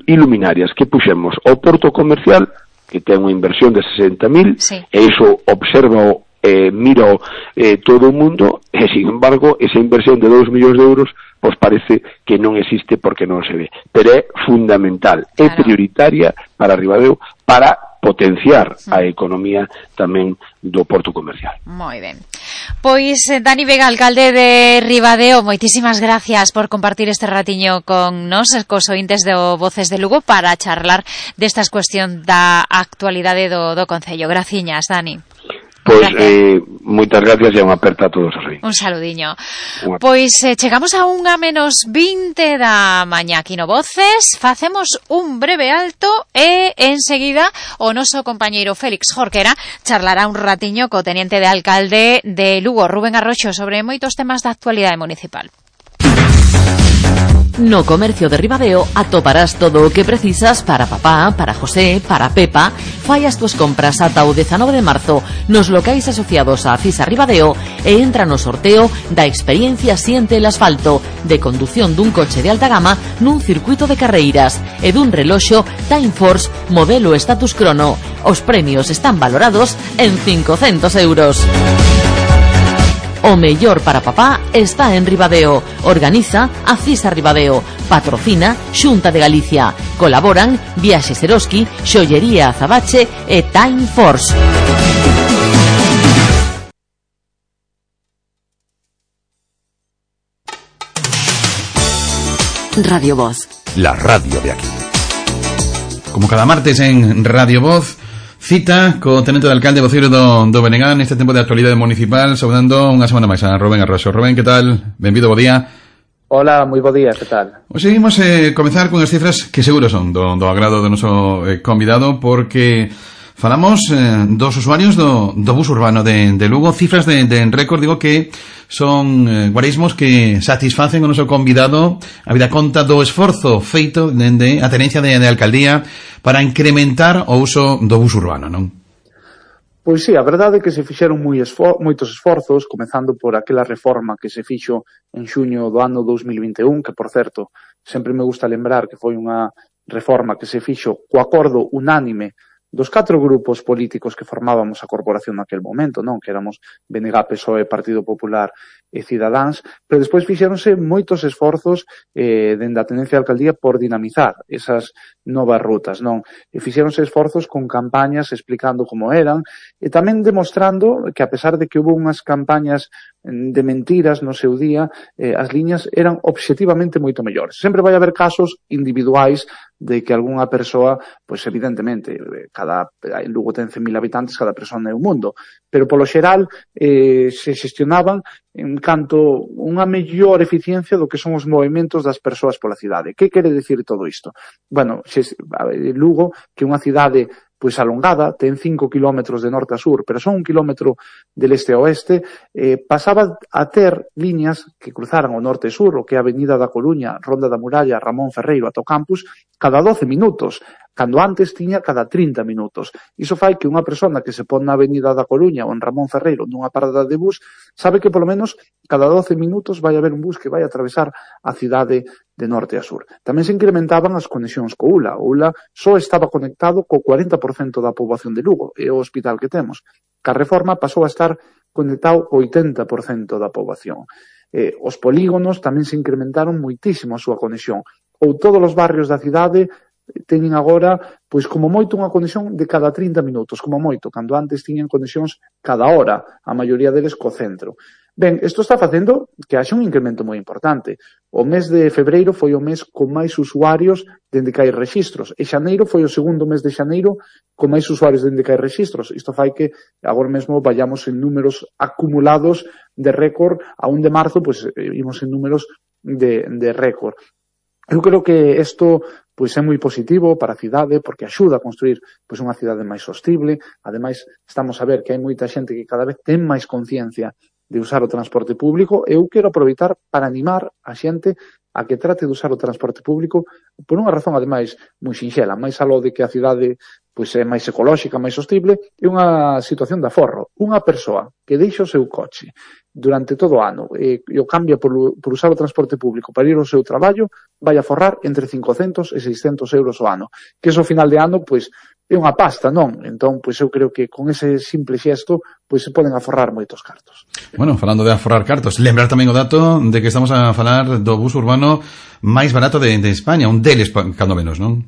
iluminarias que puxemos ao porto comercial, que ten unha inversión de sesenta mil, sí. e iso observa eh, mira eh, todo o mundo, e sin embargo esa inversión de dous millóns de euros pois parece que non existe porque non se ve, pero é fundamental, claro. é prioritaria para Ribadeo, para potenciar a economía tamén do porto comercial. Moi ben. Pois, Dani Vega, alcalde de Ribadeo, moitísimas gracias por compartir este ratiño con nos, cos ointes do Voces de Lugo, para charlar destas cuestión da actualidade do, do Concello. Graciñas, Dani. Pois, eh, moitas gracias e unha aperta a todos os ointes. Un saludiño. Unha... Pois eh, chegamos a unha menos vinte da mañá aquí no Voces, facemos un breve alto e enseguida o noso compañeiro Félix Jorquera charlará un ratiño co teniente de alcalde de Lugo, Rubén Arroxo, sobre moitos temas da actualidade municipal. No Comercio de Ribadeo atoparás todo o que precisas para papá, para José, para Pepa. Fai as túas compras ata o dezanove de marzo nos locais asociados a Cisa Ribadeo e entra no sorteo da experiencia Siente el Asfalto, de condución dun coche de alta gama nun circuito de carreiras e dun reloxo Time Force modelo Status Chrono. Os premios están valorados en cincocentos euros. O mellor para papá está en Ribadeo. Organiza a Cisa Ribadeo. Patrocina Xunta de Galicia. Colaboran Viaxes Eroski, Xollería Azabache e Time Force. Radio Voz. La radio de aquí. Como cada martes en Radio Voz, cita co tenente de alcalde voceiro do, do Benegán neste tempo de actualidade municipal, saudando unha semana máis a Rubén Arroxo. Rubén, que tal? Benvido, bo día. Hola, moi bo día, que tal? Hoxe seguimos eh, comezar con as cifras que seguro son do, do agrado do noso eh, convidado, porque falamos eh, dos usuarios do, do bus urbano de, de Lugo, cifras de, de récord, digo que son eh, guarismos que satisfacen o noso convidado a vida conta do esforzo feito dende a tenencia de, de alcaldía para incrementar o uso do bus urbano, non? Pois sí, a verdade é que se fixeron moi esfor- moitos esforzos, comezando por aquela reforma que se fixo en xuño do ano dos mil vinte e un, que, por certo, sempre me gusta lembrar que foi unha reforma que se fixo co acordo unánime dos catro grupos políticos que formábamos a corporación naquel momento, non? Que éramos B N G, P S O E, Partido Popular e Cidadáns, pero despois fixéronse moitos esforzos eh, dende a tenencia de alcaldía por dinamizar esas novas rutas, non? E fixéronse esforzos con campañas explicando como eran e tamén demostrando que, a pesar de que hubo unhas campañas de mentiras no seu día, eh, as liñas eran obxectivamente moito mellores. Sempre vai haber casos individuais de que algunha persoa, pois evidentemente, cada, en Lugo ten cen mil habitantes, cada persoa é un mundo, pero polo xeral eh, se xestionaban en canto unha mellor eficiencia do que son os movimentos das persoas pola cidade. Que quere dicir todo isto? Bueno, xe, Lugo, que é unha cidade pois alongada, ten cinco kilómetros de norte a sur, pero son un kilómetro del este a oeste, eh, pasaba a ter liñas que cruzaran o norte e sur, o que é a Avenida da Coruña, Ronda da Muralla, Ramón Ferreiro, ata o campus, cada doce minutos. cando antes tiña cada trinta minutos. Iso fai que unha persona que se pon na Avenida da Coruña ou en Ramón Ferreiro nunha parada de bus sabe que polo menos cada doce minutos vai haber un bus que vai atravesar a cidade de norte a sur. Tamén se incrementaban as conexións co U L A. O U L A só estaba conectado co cuarenta por cento da poboación de Lugo, é o hospital que temos. Ca reforma pasou a estar conectado co oitenta por cento da poboación. Eh, os polígonos tamén se incrementaron moitísimo a súa conexión. Ou todos os barrios da cidade teñen agora, pois como moito, unha conexión de cada trinta minutos, como moito, cando antes tiñan conexións cada hora, a maioría deles co centro. Ben, isto está facendo que haxa un incremento moi importante. O mes de febreiro foi o mes con máis usuarios dende que hai registros, e xaneiro foi o segundo mes de xaneiro con máis usuarios dende que hai registros. Isto fai que agora mesmo vayamos en números acumulados de récord, a un de marzo, pois imos en números de, de récord. Eu creo que isto pois é moi positivo para a cidade porque axuda a construir pois unha cidade máis sostible. Ademais, estamos a ver que hai moita xente que cada vez ten máis conciencia de usar o transporte público. Eu quero aproveitar para animar a xente a que trate de usar o transporte público por unha razón, ademais, moi sinxela, máis aló de que a cidade pois é máis ecolóxica, máis sostible, é unha situación de aforro. Unha persoa que deixa o seu coche durante todo o ano e, e o cambia por, por usar o transporte público para ir ao seu traballo, vai a forrar entre cincocentos e seiscentos euros o ano. Que eso, ao final de ano, pois, é unha pasta, non? Entón, pois eu creo que con ese simple xesto, pois se poden aforrar moitos cartos. Bueno, falando de aforrar cartos, lembrar tamén o dato de que estamos a falar do bus urbano máis barato de, de España, un deles, cando menos, non?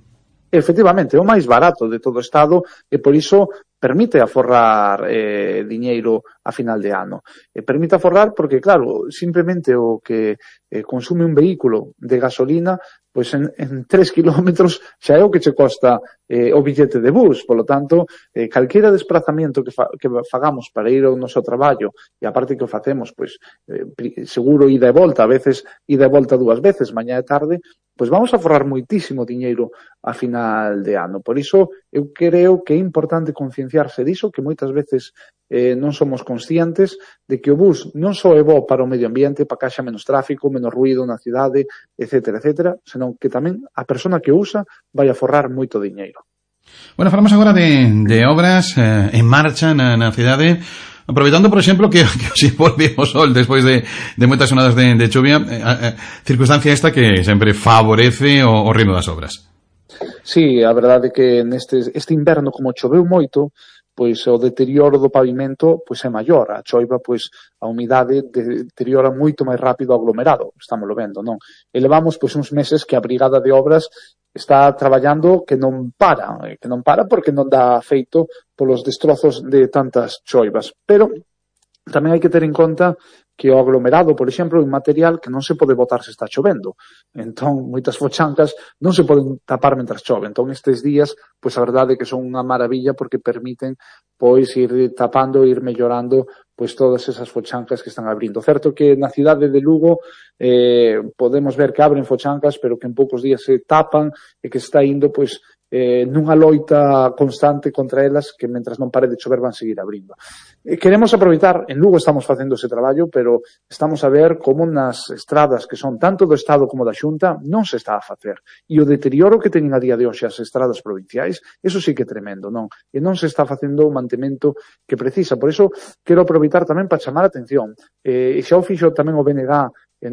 Efectivamente, é o máis barato de todo o Estado e por iso permite aforrar eh, diñeiro a final de ano. E permite aforrar porque, claro, simplemente o que eh, consume un vehículo de gasolina, pois en, en tres kilómetros xa é o que che costa eh, o billete de bus. Por lo tanto, eh, calquera desplazamento que, fa, que fagamos para ir ao noso traballo, e aparte que o facemos, pois, eh, seguro ida e volta, a veces ida e volta dúas veces, mañá e tarde, pois vamos a forrar moitísimo diñeiro a final de ano. Por iso, eu creo que é importante concienciarse diso, que moitas veces eh, non somos conscientes de que o bus non só é bo para o medio ambiente, para que haxa menos tráfico, menos ruido na cidade, etcétera, etcétera, senón que tamén a persona que o usa vai a forrar moito diñeiro. Bueno, falamos agora de, de obras eh, en marcha na, na cidade. Aproveitando, por exemplo, que, que si volvemos sol despois de, de moitas sonadas de, de chuvia, eh, eh, circunstancia esta que sempre favorece o, o ritmo das obras. Sí, a verdade é que neste este inverno, como choveu moito, pois o deterioro do pavimento pois é maior. A choiva, pois a humidade deteriora moito máis rápido o aglomerado, estámoslo vendo, non? E levamos pois uns meses que a Brigada de Obras está traballando que non para, que non para porque non dá feito polos destrozos de tantas choivas. Pero tamén hai que ter en conta que o aglomerado, por exemplo, é un material que non se pode botar se está chovendo. Entón, moitas fochancas non se poden tapar mentras chove. Entón, estes días, pois a verdade é que son unha maravilla porque permiten pois ir tapando, ir mellorando pois todas esas fochancas que están abrindo. Certo que na cidade de Lugo eh, podemos ver que abren fochancas, pero que en poucos días se tapan e que está indo pois eh, nunha loita constante contra elas que mentras non pare de chover van seguir abrindo. Eh, queremos aproveitar, en Lugo estamos facendo ese traballo, pero estamos a ver como nas estradas que son tanto do Estado como da Xunta non se está a facer. E o deterioro que teñen a día de hoxe as estradas provinciais, eso sí que é tremendo, non? E non se está facendo o mantemento que precisa. Por iso quero aproveitar tamén para chamar a atención. Eh, e xa o fixo tamén o B N G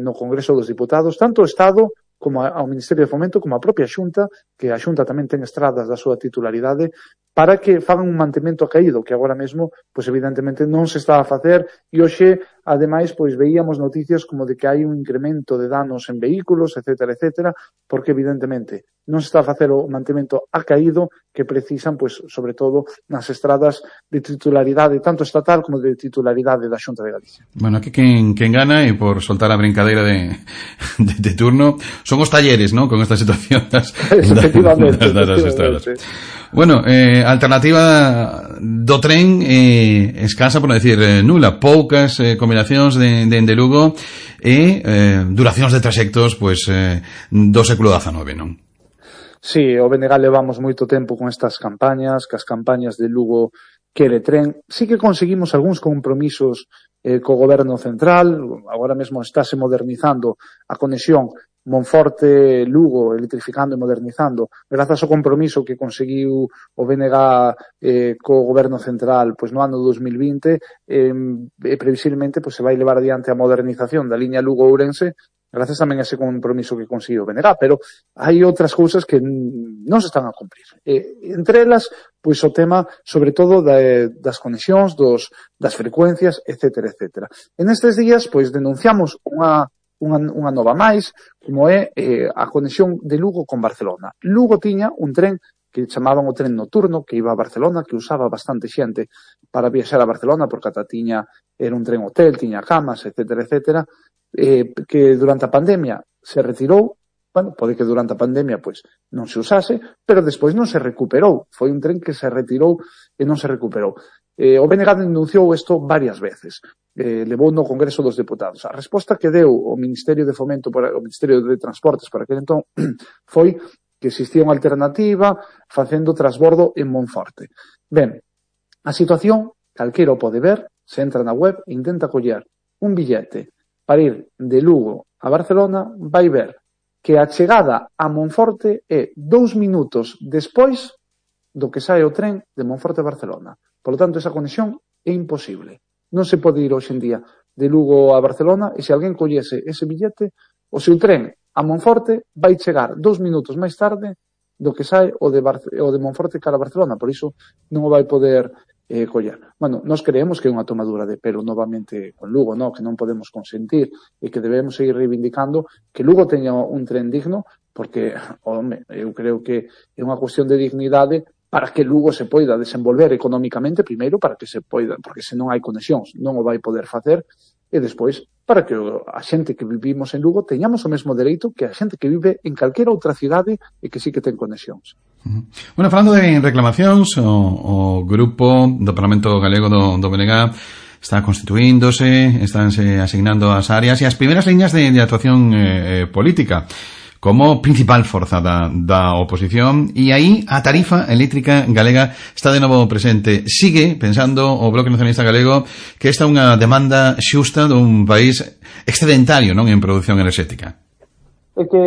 no Congreso dos Diputados, tanto o Estado como ao Ministerio de Fomento, como a propia Xunta, que a Xunta tamén ten estradas da súa titularidade, para que fagan un mantemento caído, que agora mesmo, pois evidentemente non se está a facer, e hoxe, ademais, pois veíamos noticias como de que hai un incremento de danos en vehículos, etcétera, etcétera, porque evidentemente non se está a facer o mantemento a caído que precisan, pois, sobre todo, nas estradas de titularidade, tanto estatal como de titularidade da Xunta de Galicia. Bueno, aquí quen, quen gana, e por soltar a brincadeira de, de, de turno, son os talleres, ¿no?, con esta situación das, efectivamente, das, das, das estradas. Bueno, eh, alternativa do tren eh, escasa, por non decir eh, nula, poucas eh, combinacións de, de, de Lugo e eh, duracións de trayectos pois, eh, do século dezenove, non? Sí, o B N G levamos moito tempo con estas campañas, que as campañas de Lugo quere tren. Sí que conseguimos algúns compromisos eh, co goberno central, agora mesmo estáse modernizando a conexión Monforte, Lugo, electrificando e modernizando, grazas ao compromiso que conseguiu o B N G eh, co goberno central pois no ano dos mil vinte, eh, e previsiblemente pois, se vai levar adiante a modernización da liña Lugo-Ourense, grazas tamén a ese compromiso que conseguiu o B N G, pero hai outras cousas que non se están a cumprir. Eh, entre elas, pois o tema, sobre todo, da, das conexións, dos, das frecuencias, etcétera, etcétera. En estes días, pois, denunciamos unha Unha, unha nova máis, como é eh, a conexión de Lugo con Barcelona. Lugo tiña un tren que chamaban o tren nocturno, que iba a Barcelona, que usaba bastante xente para viaxar a Barcelona, porque ata tiña, era un tren hotel, tiña camas, etcétera, etcétera, eh, que durante a pandemia se retirou. Bueno, pode que durante a pandemia pois non se usase, pero despois non se recuperou. Foi un tren que se retirou e non se recuperou. Eh, o B N G denunciou isto varias veces. Eh, levou no Congreso dos Deputados. A resposta que deu o Ministerio de Fomento, o Ministerio de Transportes para aquel entón, foi que existía unha alternativa facendo transbordo en Monforte. Ben, a situación, calquera o pode ver, se entra na web e intenta coller un billete para ir de Lugo a Barcelona, vai ver que a chegada a Monforte é dous minutos despois do que sae o tren de Monforte a Barcelona. Por lo tanto, esa conexión é imposible. Non se pode ir hoxe en día de Lugo a Barcelona e se alguén collese ese billete, o seu tren a Monforte vai chegar dous minutos máis tarde do que sae o de, Barce- o de Monforte cara a Barcelona. Por iso non o vai poder eh, coller. Bueno, nós creemos que é unha tomadura de pelo novamente con Lugo, no? Que non podemos consentir e que debemos seguir reivindicando que Lugo teña un tren digno, porque, home, eu creo que é unha cuestión de dignidade para que Lugo se poida desenvolver económicamente, primeiro, para que se poida, porque se non hai conexións non o vai poder facer, e despois, para que a xente que vivimos en Lugo teñamos o mesmo dereito que a xente que vive en calquera outra cidade e que sí que ten conexións. Bueno, falando de reclamacións, o, o grupo do Parlamento Galego do, do B N G está constituíndose, estánse asignando as áreas e as primeiras liñas de, de actuación eh, política como principal forza da, da oposición, e aí a tarifa eléctrica galega está de novo presente. Sigue pensando o Bloque Nacionalista Galego que esta é unha demanda xusta dun país excedentario, non, en produción enerxética. É que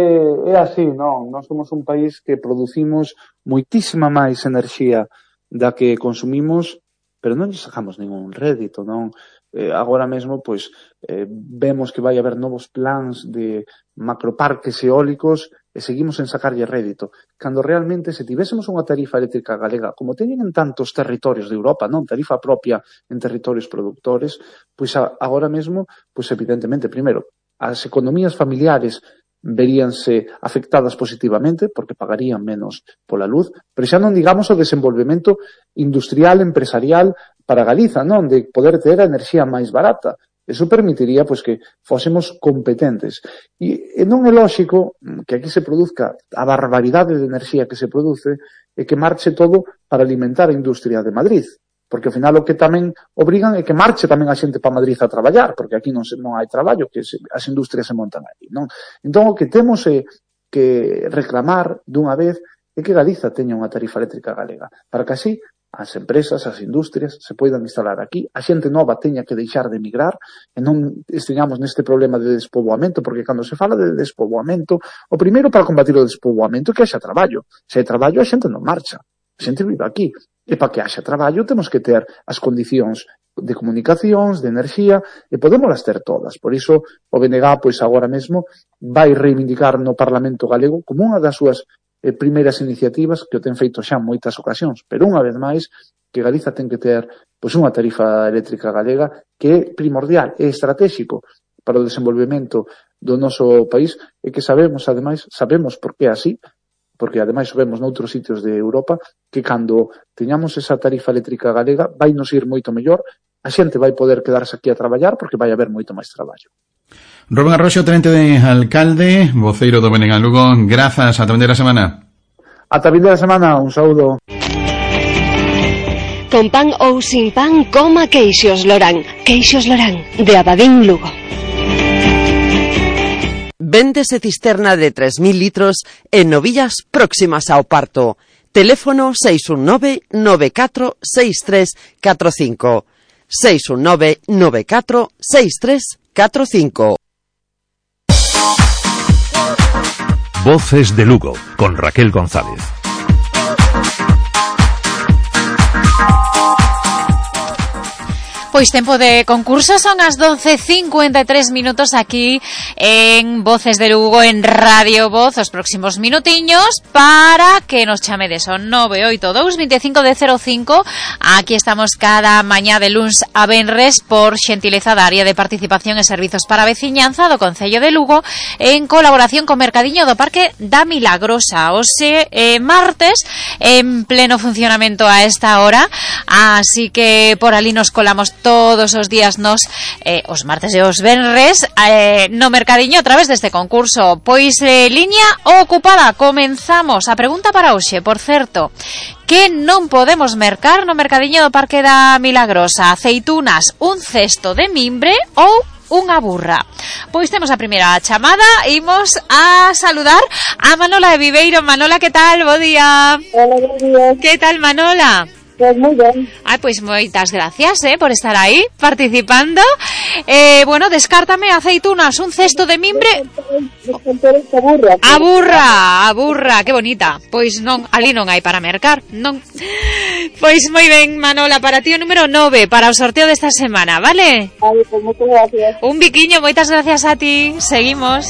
é así, non? Nós somos un país que producimos moitísima máis enerxía da que consumimos, pero non lle sacamos ningún rédito, non? Eh, agora mesmo, pois, eh, vemos que vai haber novos plans de macroparques eólicos e seguimos en sacarlle rédito. Cando realmente, se tivésemos unha tarifa eléctrica galega, como teñen en tantos territorios de Europa, non? Tarifa propia en territorios productores, pois a, agora mesmo, pois evidentemente, primeiro, as economías familiares veríanse afectadas positivamente porque pagarían menos pola luz, pero xa non digamos o desenvolvemento industrial, empresarial para Galiza, non? De poder ter a enerxía máis barata. Eso permitiría pois que fósemos competentes. E, e non é lóxico que aquí se produzca a barbaridade de enerxía que se produce e que marche todo para alimentar a industria de Madrid. Porque ao final o que tamén obrigan é que marche tamén a xente para Madrid a traballar, porque aquí non, se, non hai traballo, que se, as industrias se montan aí, non? Entón o que temos é que reclamar dunha vez é que Galiza teña unha tarifa eléctrica galega, para que así as empresas, as industrias se poidan instalar aquí, a xente nova teña que deixar de emigrar e non esteñamos neste problema de despoboamento, porque cando se fala de despoboamento, o primeiro para combatir o despoboamento é que haxa traballo. Se hai traballo, a xente non marcha, a xente vive aquí. E para que haxa traballo temos que ter as condicións de comunicacións, de enerxía, e podémolas ter todas. Por iso o B N G, pois agora mesmo, vai reivindicar no Parlamento Galego como unha das súas eh, primeiras iniciativas, que o ten feito xa en moitas ocasións, pero unha vez máis, que Galiza ten que ter pois unha tarifa eléctrica galega que é primordial, é estratégico para o desenvolvemento do noso país, e que sabemos, ademais, sabemos por que é así, porque ademais vemos noutros sitios de Europa que cando teñamos esa tarifa eléctrica galega vai nos ir moito mellor, a xente vai poder quedarse aquí a traballar porque vai haber moito máis traballo. Rubén Arroxo, tenente de alcalde, voceiro do B N G Lugo, grazas, ata vindeira semana. Ata vindeira semana, un saúdo. Con pan ou sin pan, coma Queixos Lorán. Queixos Lorán, de Abadín, Lugo. Véndese cisterna de tres mil litros en novillas próximas ao parto. Teléfono seis un nove, nove catro, seis tres catro cinco. seis un nove, nove catro, seis tres catro cinco. Voces de Lugo, con Raquel González. Pois tempo de concurso, son as doce e cincuenta e tres minutos aquí en Voces de Lugo, en Radio Voz, os próximos minutiños para que nos chamedes ao nove oito dous, veinticinco de cero cinco. Aquí estamos cada mañá de luns a venres por xentileza da área de participación e servizos para a veciñanza do Concello de Lugo, en colaboración co Mercadiño do Parque da Milagrosa. Hoxe eh, martes, en pleno funcionamento a esta hora, así que por ali nos colamos todos os días nos eh, os martes e os venres eh, no Mercadiño a través deste concurso. Pois eh, liña ocupada, comenzamos. A pregunta para hoxe, por certo, que non podemos mercar no Mercadiño do Parque da Milagrosa? Aceitunas, un cesto de mimbre ou unha burra? Pois temos a primeira chamada, imos a saludar a Manola de Viveiro. Manola, que tal? Bo día. Hola, bo día. Que tal, Manola? Pues moi ben. Ai, pois moitas gracias, eh, por estar aí participando. Eh, bueno, descártame aceitunas, un cesto de mimbre. A burra. A burra, a burra, que bonita. Pois non, ali non hai para mercar, non. Pois moi ben, Manola, para ti o número nove para o sorteo desta semana, vale? Vale, pues moitas gracias. Un biquiño, moitas gracias a ti. Seguimos.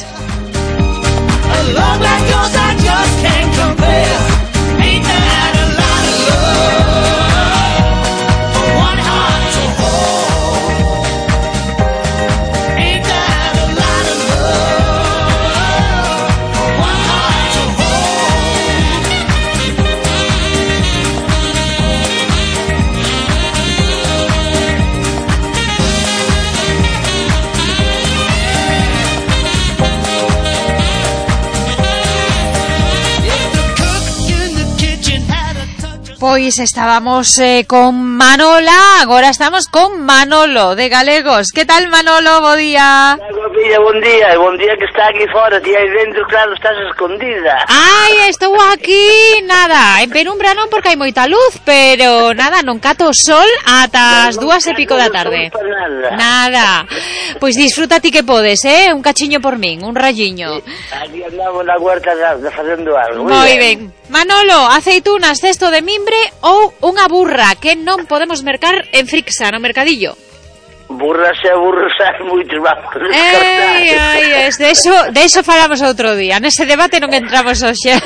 Pois estábamos eh, con Manola, agora estamos con Manolo de Galegos. Que tal, Manolo? Bo día. Bon día, bon día, bon día que está aquí fora, ti aí dentro, claro, estás escondida. Ai, estou aquí, nada, en penumbra non porque hai moita luz, pero nada, non cato o sol ata as dúas e pico da tarde. Nada. Nada. Pois disfruta ti que podes, eh? Un cachiño por min, un rayiño. Aquí andamos na huerta da, da facendo algo. Moi ben. Manolo, aceitunas, cesto de mimbre ou unha burra que non podemos mercar en Frixa, no Mercadillo? Burras e burros hai moitos, vamos a descartar. Ei, ai, es de eso, de eso falamos outro día. Nese debate non entramos hoxe.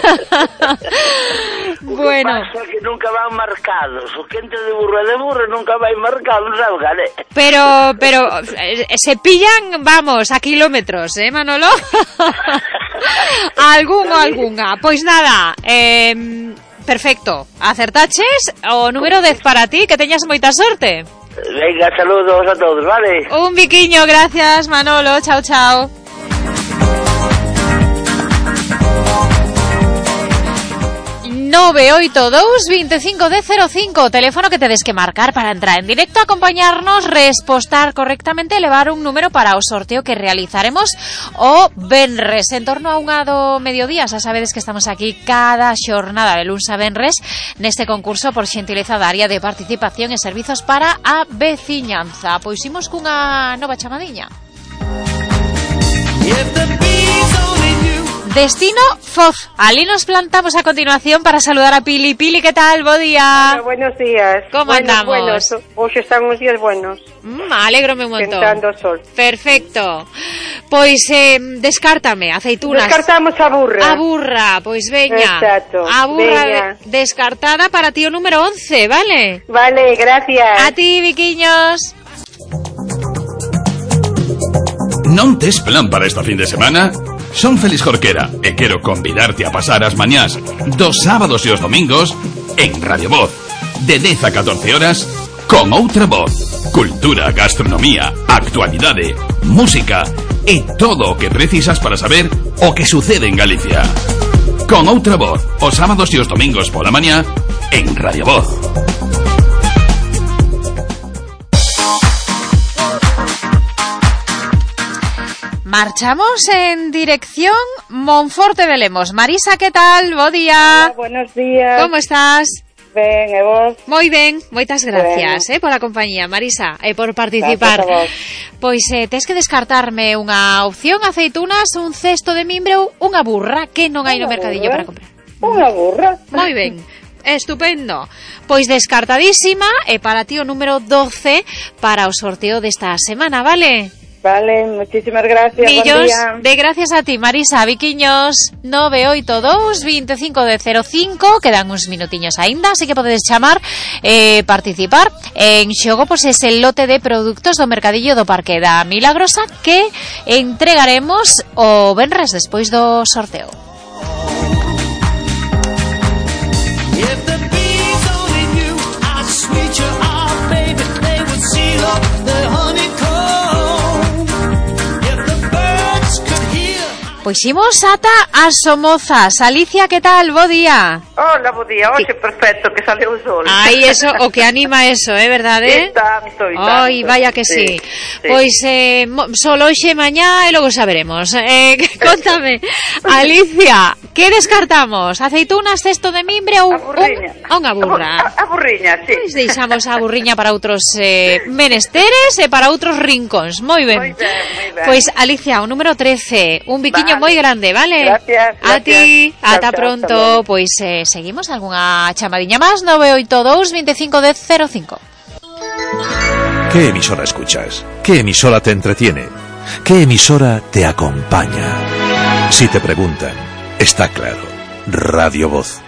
Bueno. O que pasa que nunca van marcados. O que entre de burro e de burro nunca vai marcado, sabes, gale? Pero, pero, se pillan, vamos, a kilómetros, eh, Manolo? Algún ou algunha. Pois nada, eh, perfecto. Acertaches o número dez para ti, que teñas moita sorte. Venga, saludos a todos, vale? Un biquiño, gracias, Manolo. Chao, chao. nove oito dous, veinticinco de cero cinco, teléfono que tedes que marcar para entrar en directo, acompañarnos, respostar correctamente e levar un número para o sorteo que realizaremos o venres en torno a unha do mediodía. Xa sabedes que estamos aquí cada xornada de luns a venres neste concurso por xentileza da área de participación e servizos para a veciñanza. Pois imos cunha nova chamadiña. Destino Foz. Ali nos plantamos a continuación para saludar a Pili. Pili, ¿qué tal? Bo día. Hola, buenos días. ¿Cómo buenos, andamos? Buenos. Hoy están unos días buenos. Mm, alégrome un montón. Tentando sol. Perfecto. Pois, eh, descártame, aceitunas. Descartamos a burra. A burra, pois veña. Exacto. A burra veña. De, descartada para ti o número once, ¿vale? Vale, gracias. A ti, Viquiños. Non tes plan para esta fin de semana? Son Félix Jorquera e quero convidarte a pasar as mañás dos sábados e os domingos en Radio Voz, de dez a catorce horas, con outra voz. Cultura, gastronomía, actualidade, música e todo o que precisas para saber o que sucede en Galicia. Con outra voz, os sábados e os domingos pola mañá en Radio Voz. Marchamos en dirección Monforte de Lemos. Marisa, ¿qué tal? Bo día. Hola, buenos días. ¿Cómo estás? Ben, e vos? Moi ben, moitas gracias, bueno. eh, pola compañía, Marisa, e por participar. Pois eh, tes que descartarme unha opción, aceitunas, un cesto de mimbre ou unha burra que non hai no mercadillo para comprar. Unha burra? Moi ben. Estupendo. Pois descartadísima e para ti o número doce para o sorteo desta semana, vale? Vale, muchísimas gracias. Millóns de gracias a ti, Marisa. Viquiños, nove oito dous, veinticinco de cero cinco. Quedan uns minutiños aínda, así que podedes chamar e eh, participar en xogo, pois ese lote de produtos do mercadillo do Parque da Milagrosa que entregaremos o venres despois do sorteo. Pois imos ata as Somozas. Alicia, que tal? Bo día. Hola, bo día. Oxe, perfecto, que sale o sol. Ai, eso, o que anima eso, é eh, verdade? E tanto, e tanto. Ai, vaya que sí. sí. sí. Pois eh, solo hoxe mañá e logo saberemos. Eh, contame, Alicia, que descartamos? Aceitunas, cesto de mimbre ou un, unha burra? A, a burriña, sí. Pois deixamos a burriña para outros eh, menesteres e para outros rincóns. Moi ben. Moi ben, moi ben. Pois, Alicia, o número trece, un biquiño vale. moi grande, vale? Gracias, a gracias. ti, Chao, ata chao, pronto. chao. Pois eh, seguimos algunha chamadiña máis, nove oito dous, veinticinco de cero cinco. ¿Qué emisora escuchas? ¿Qué emisora te entretiene? ¿Qué emisora te acompaña? Si te preguntan, está claro, Radio Voz.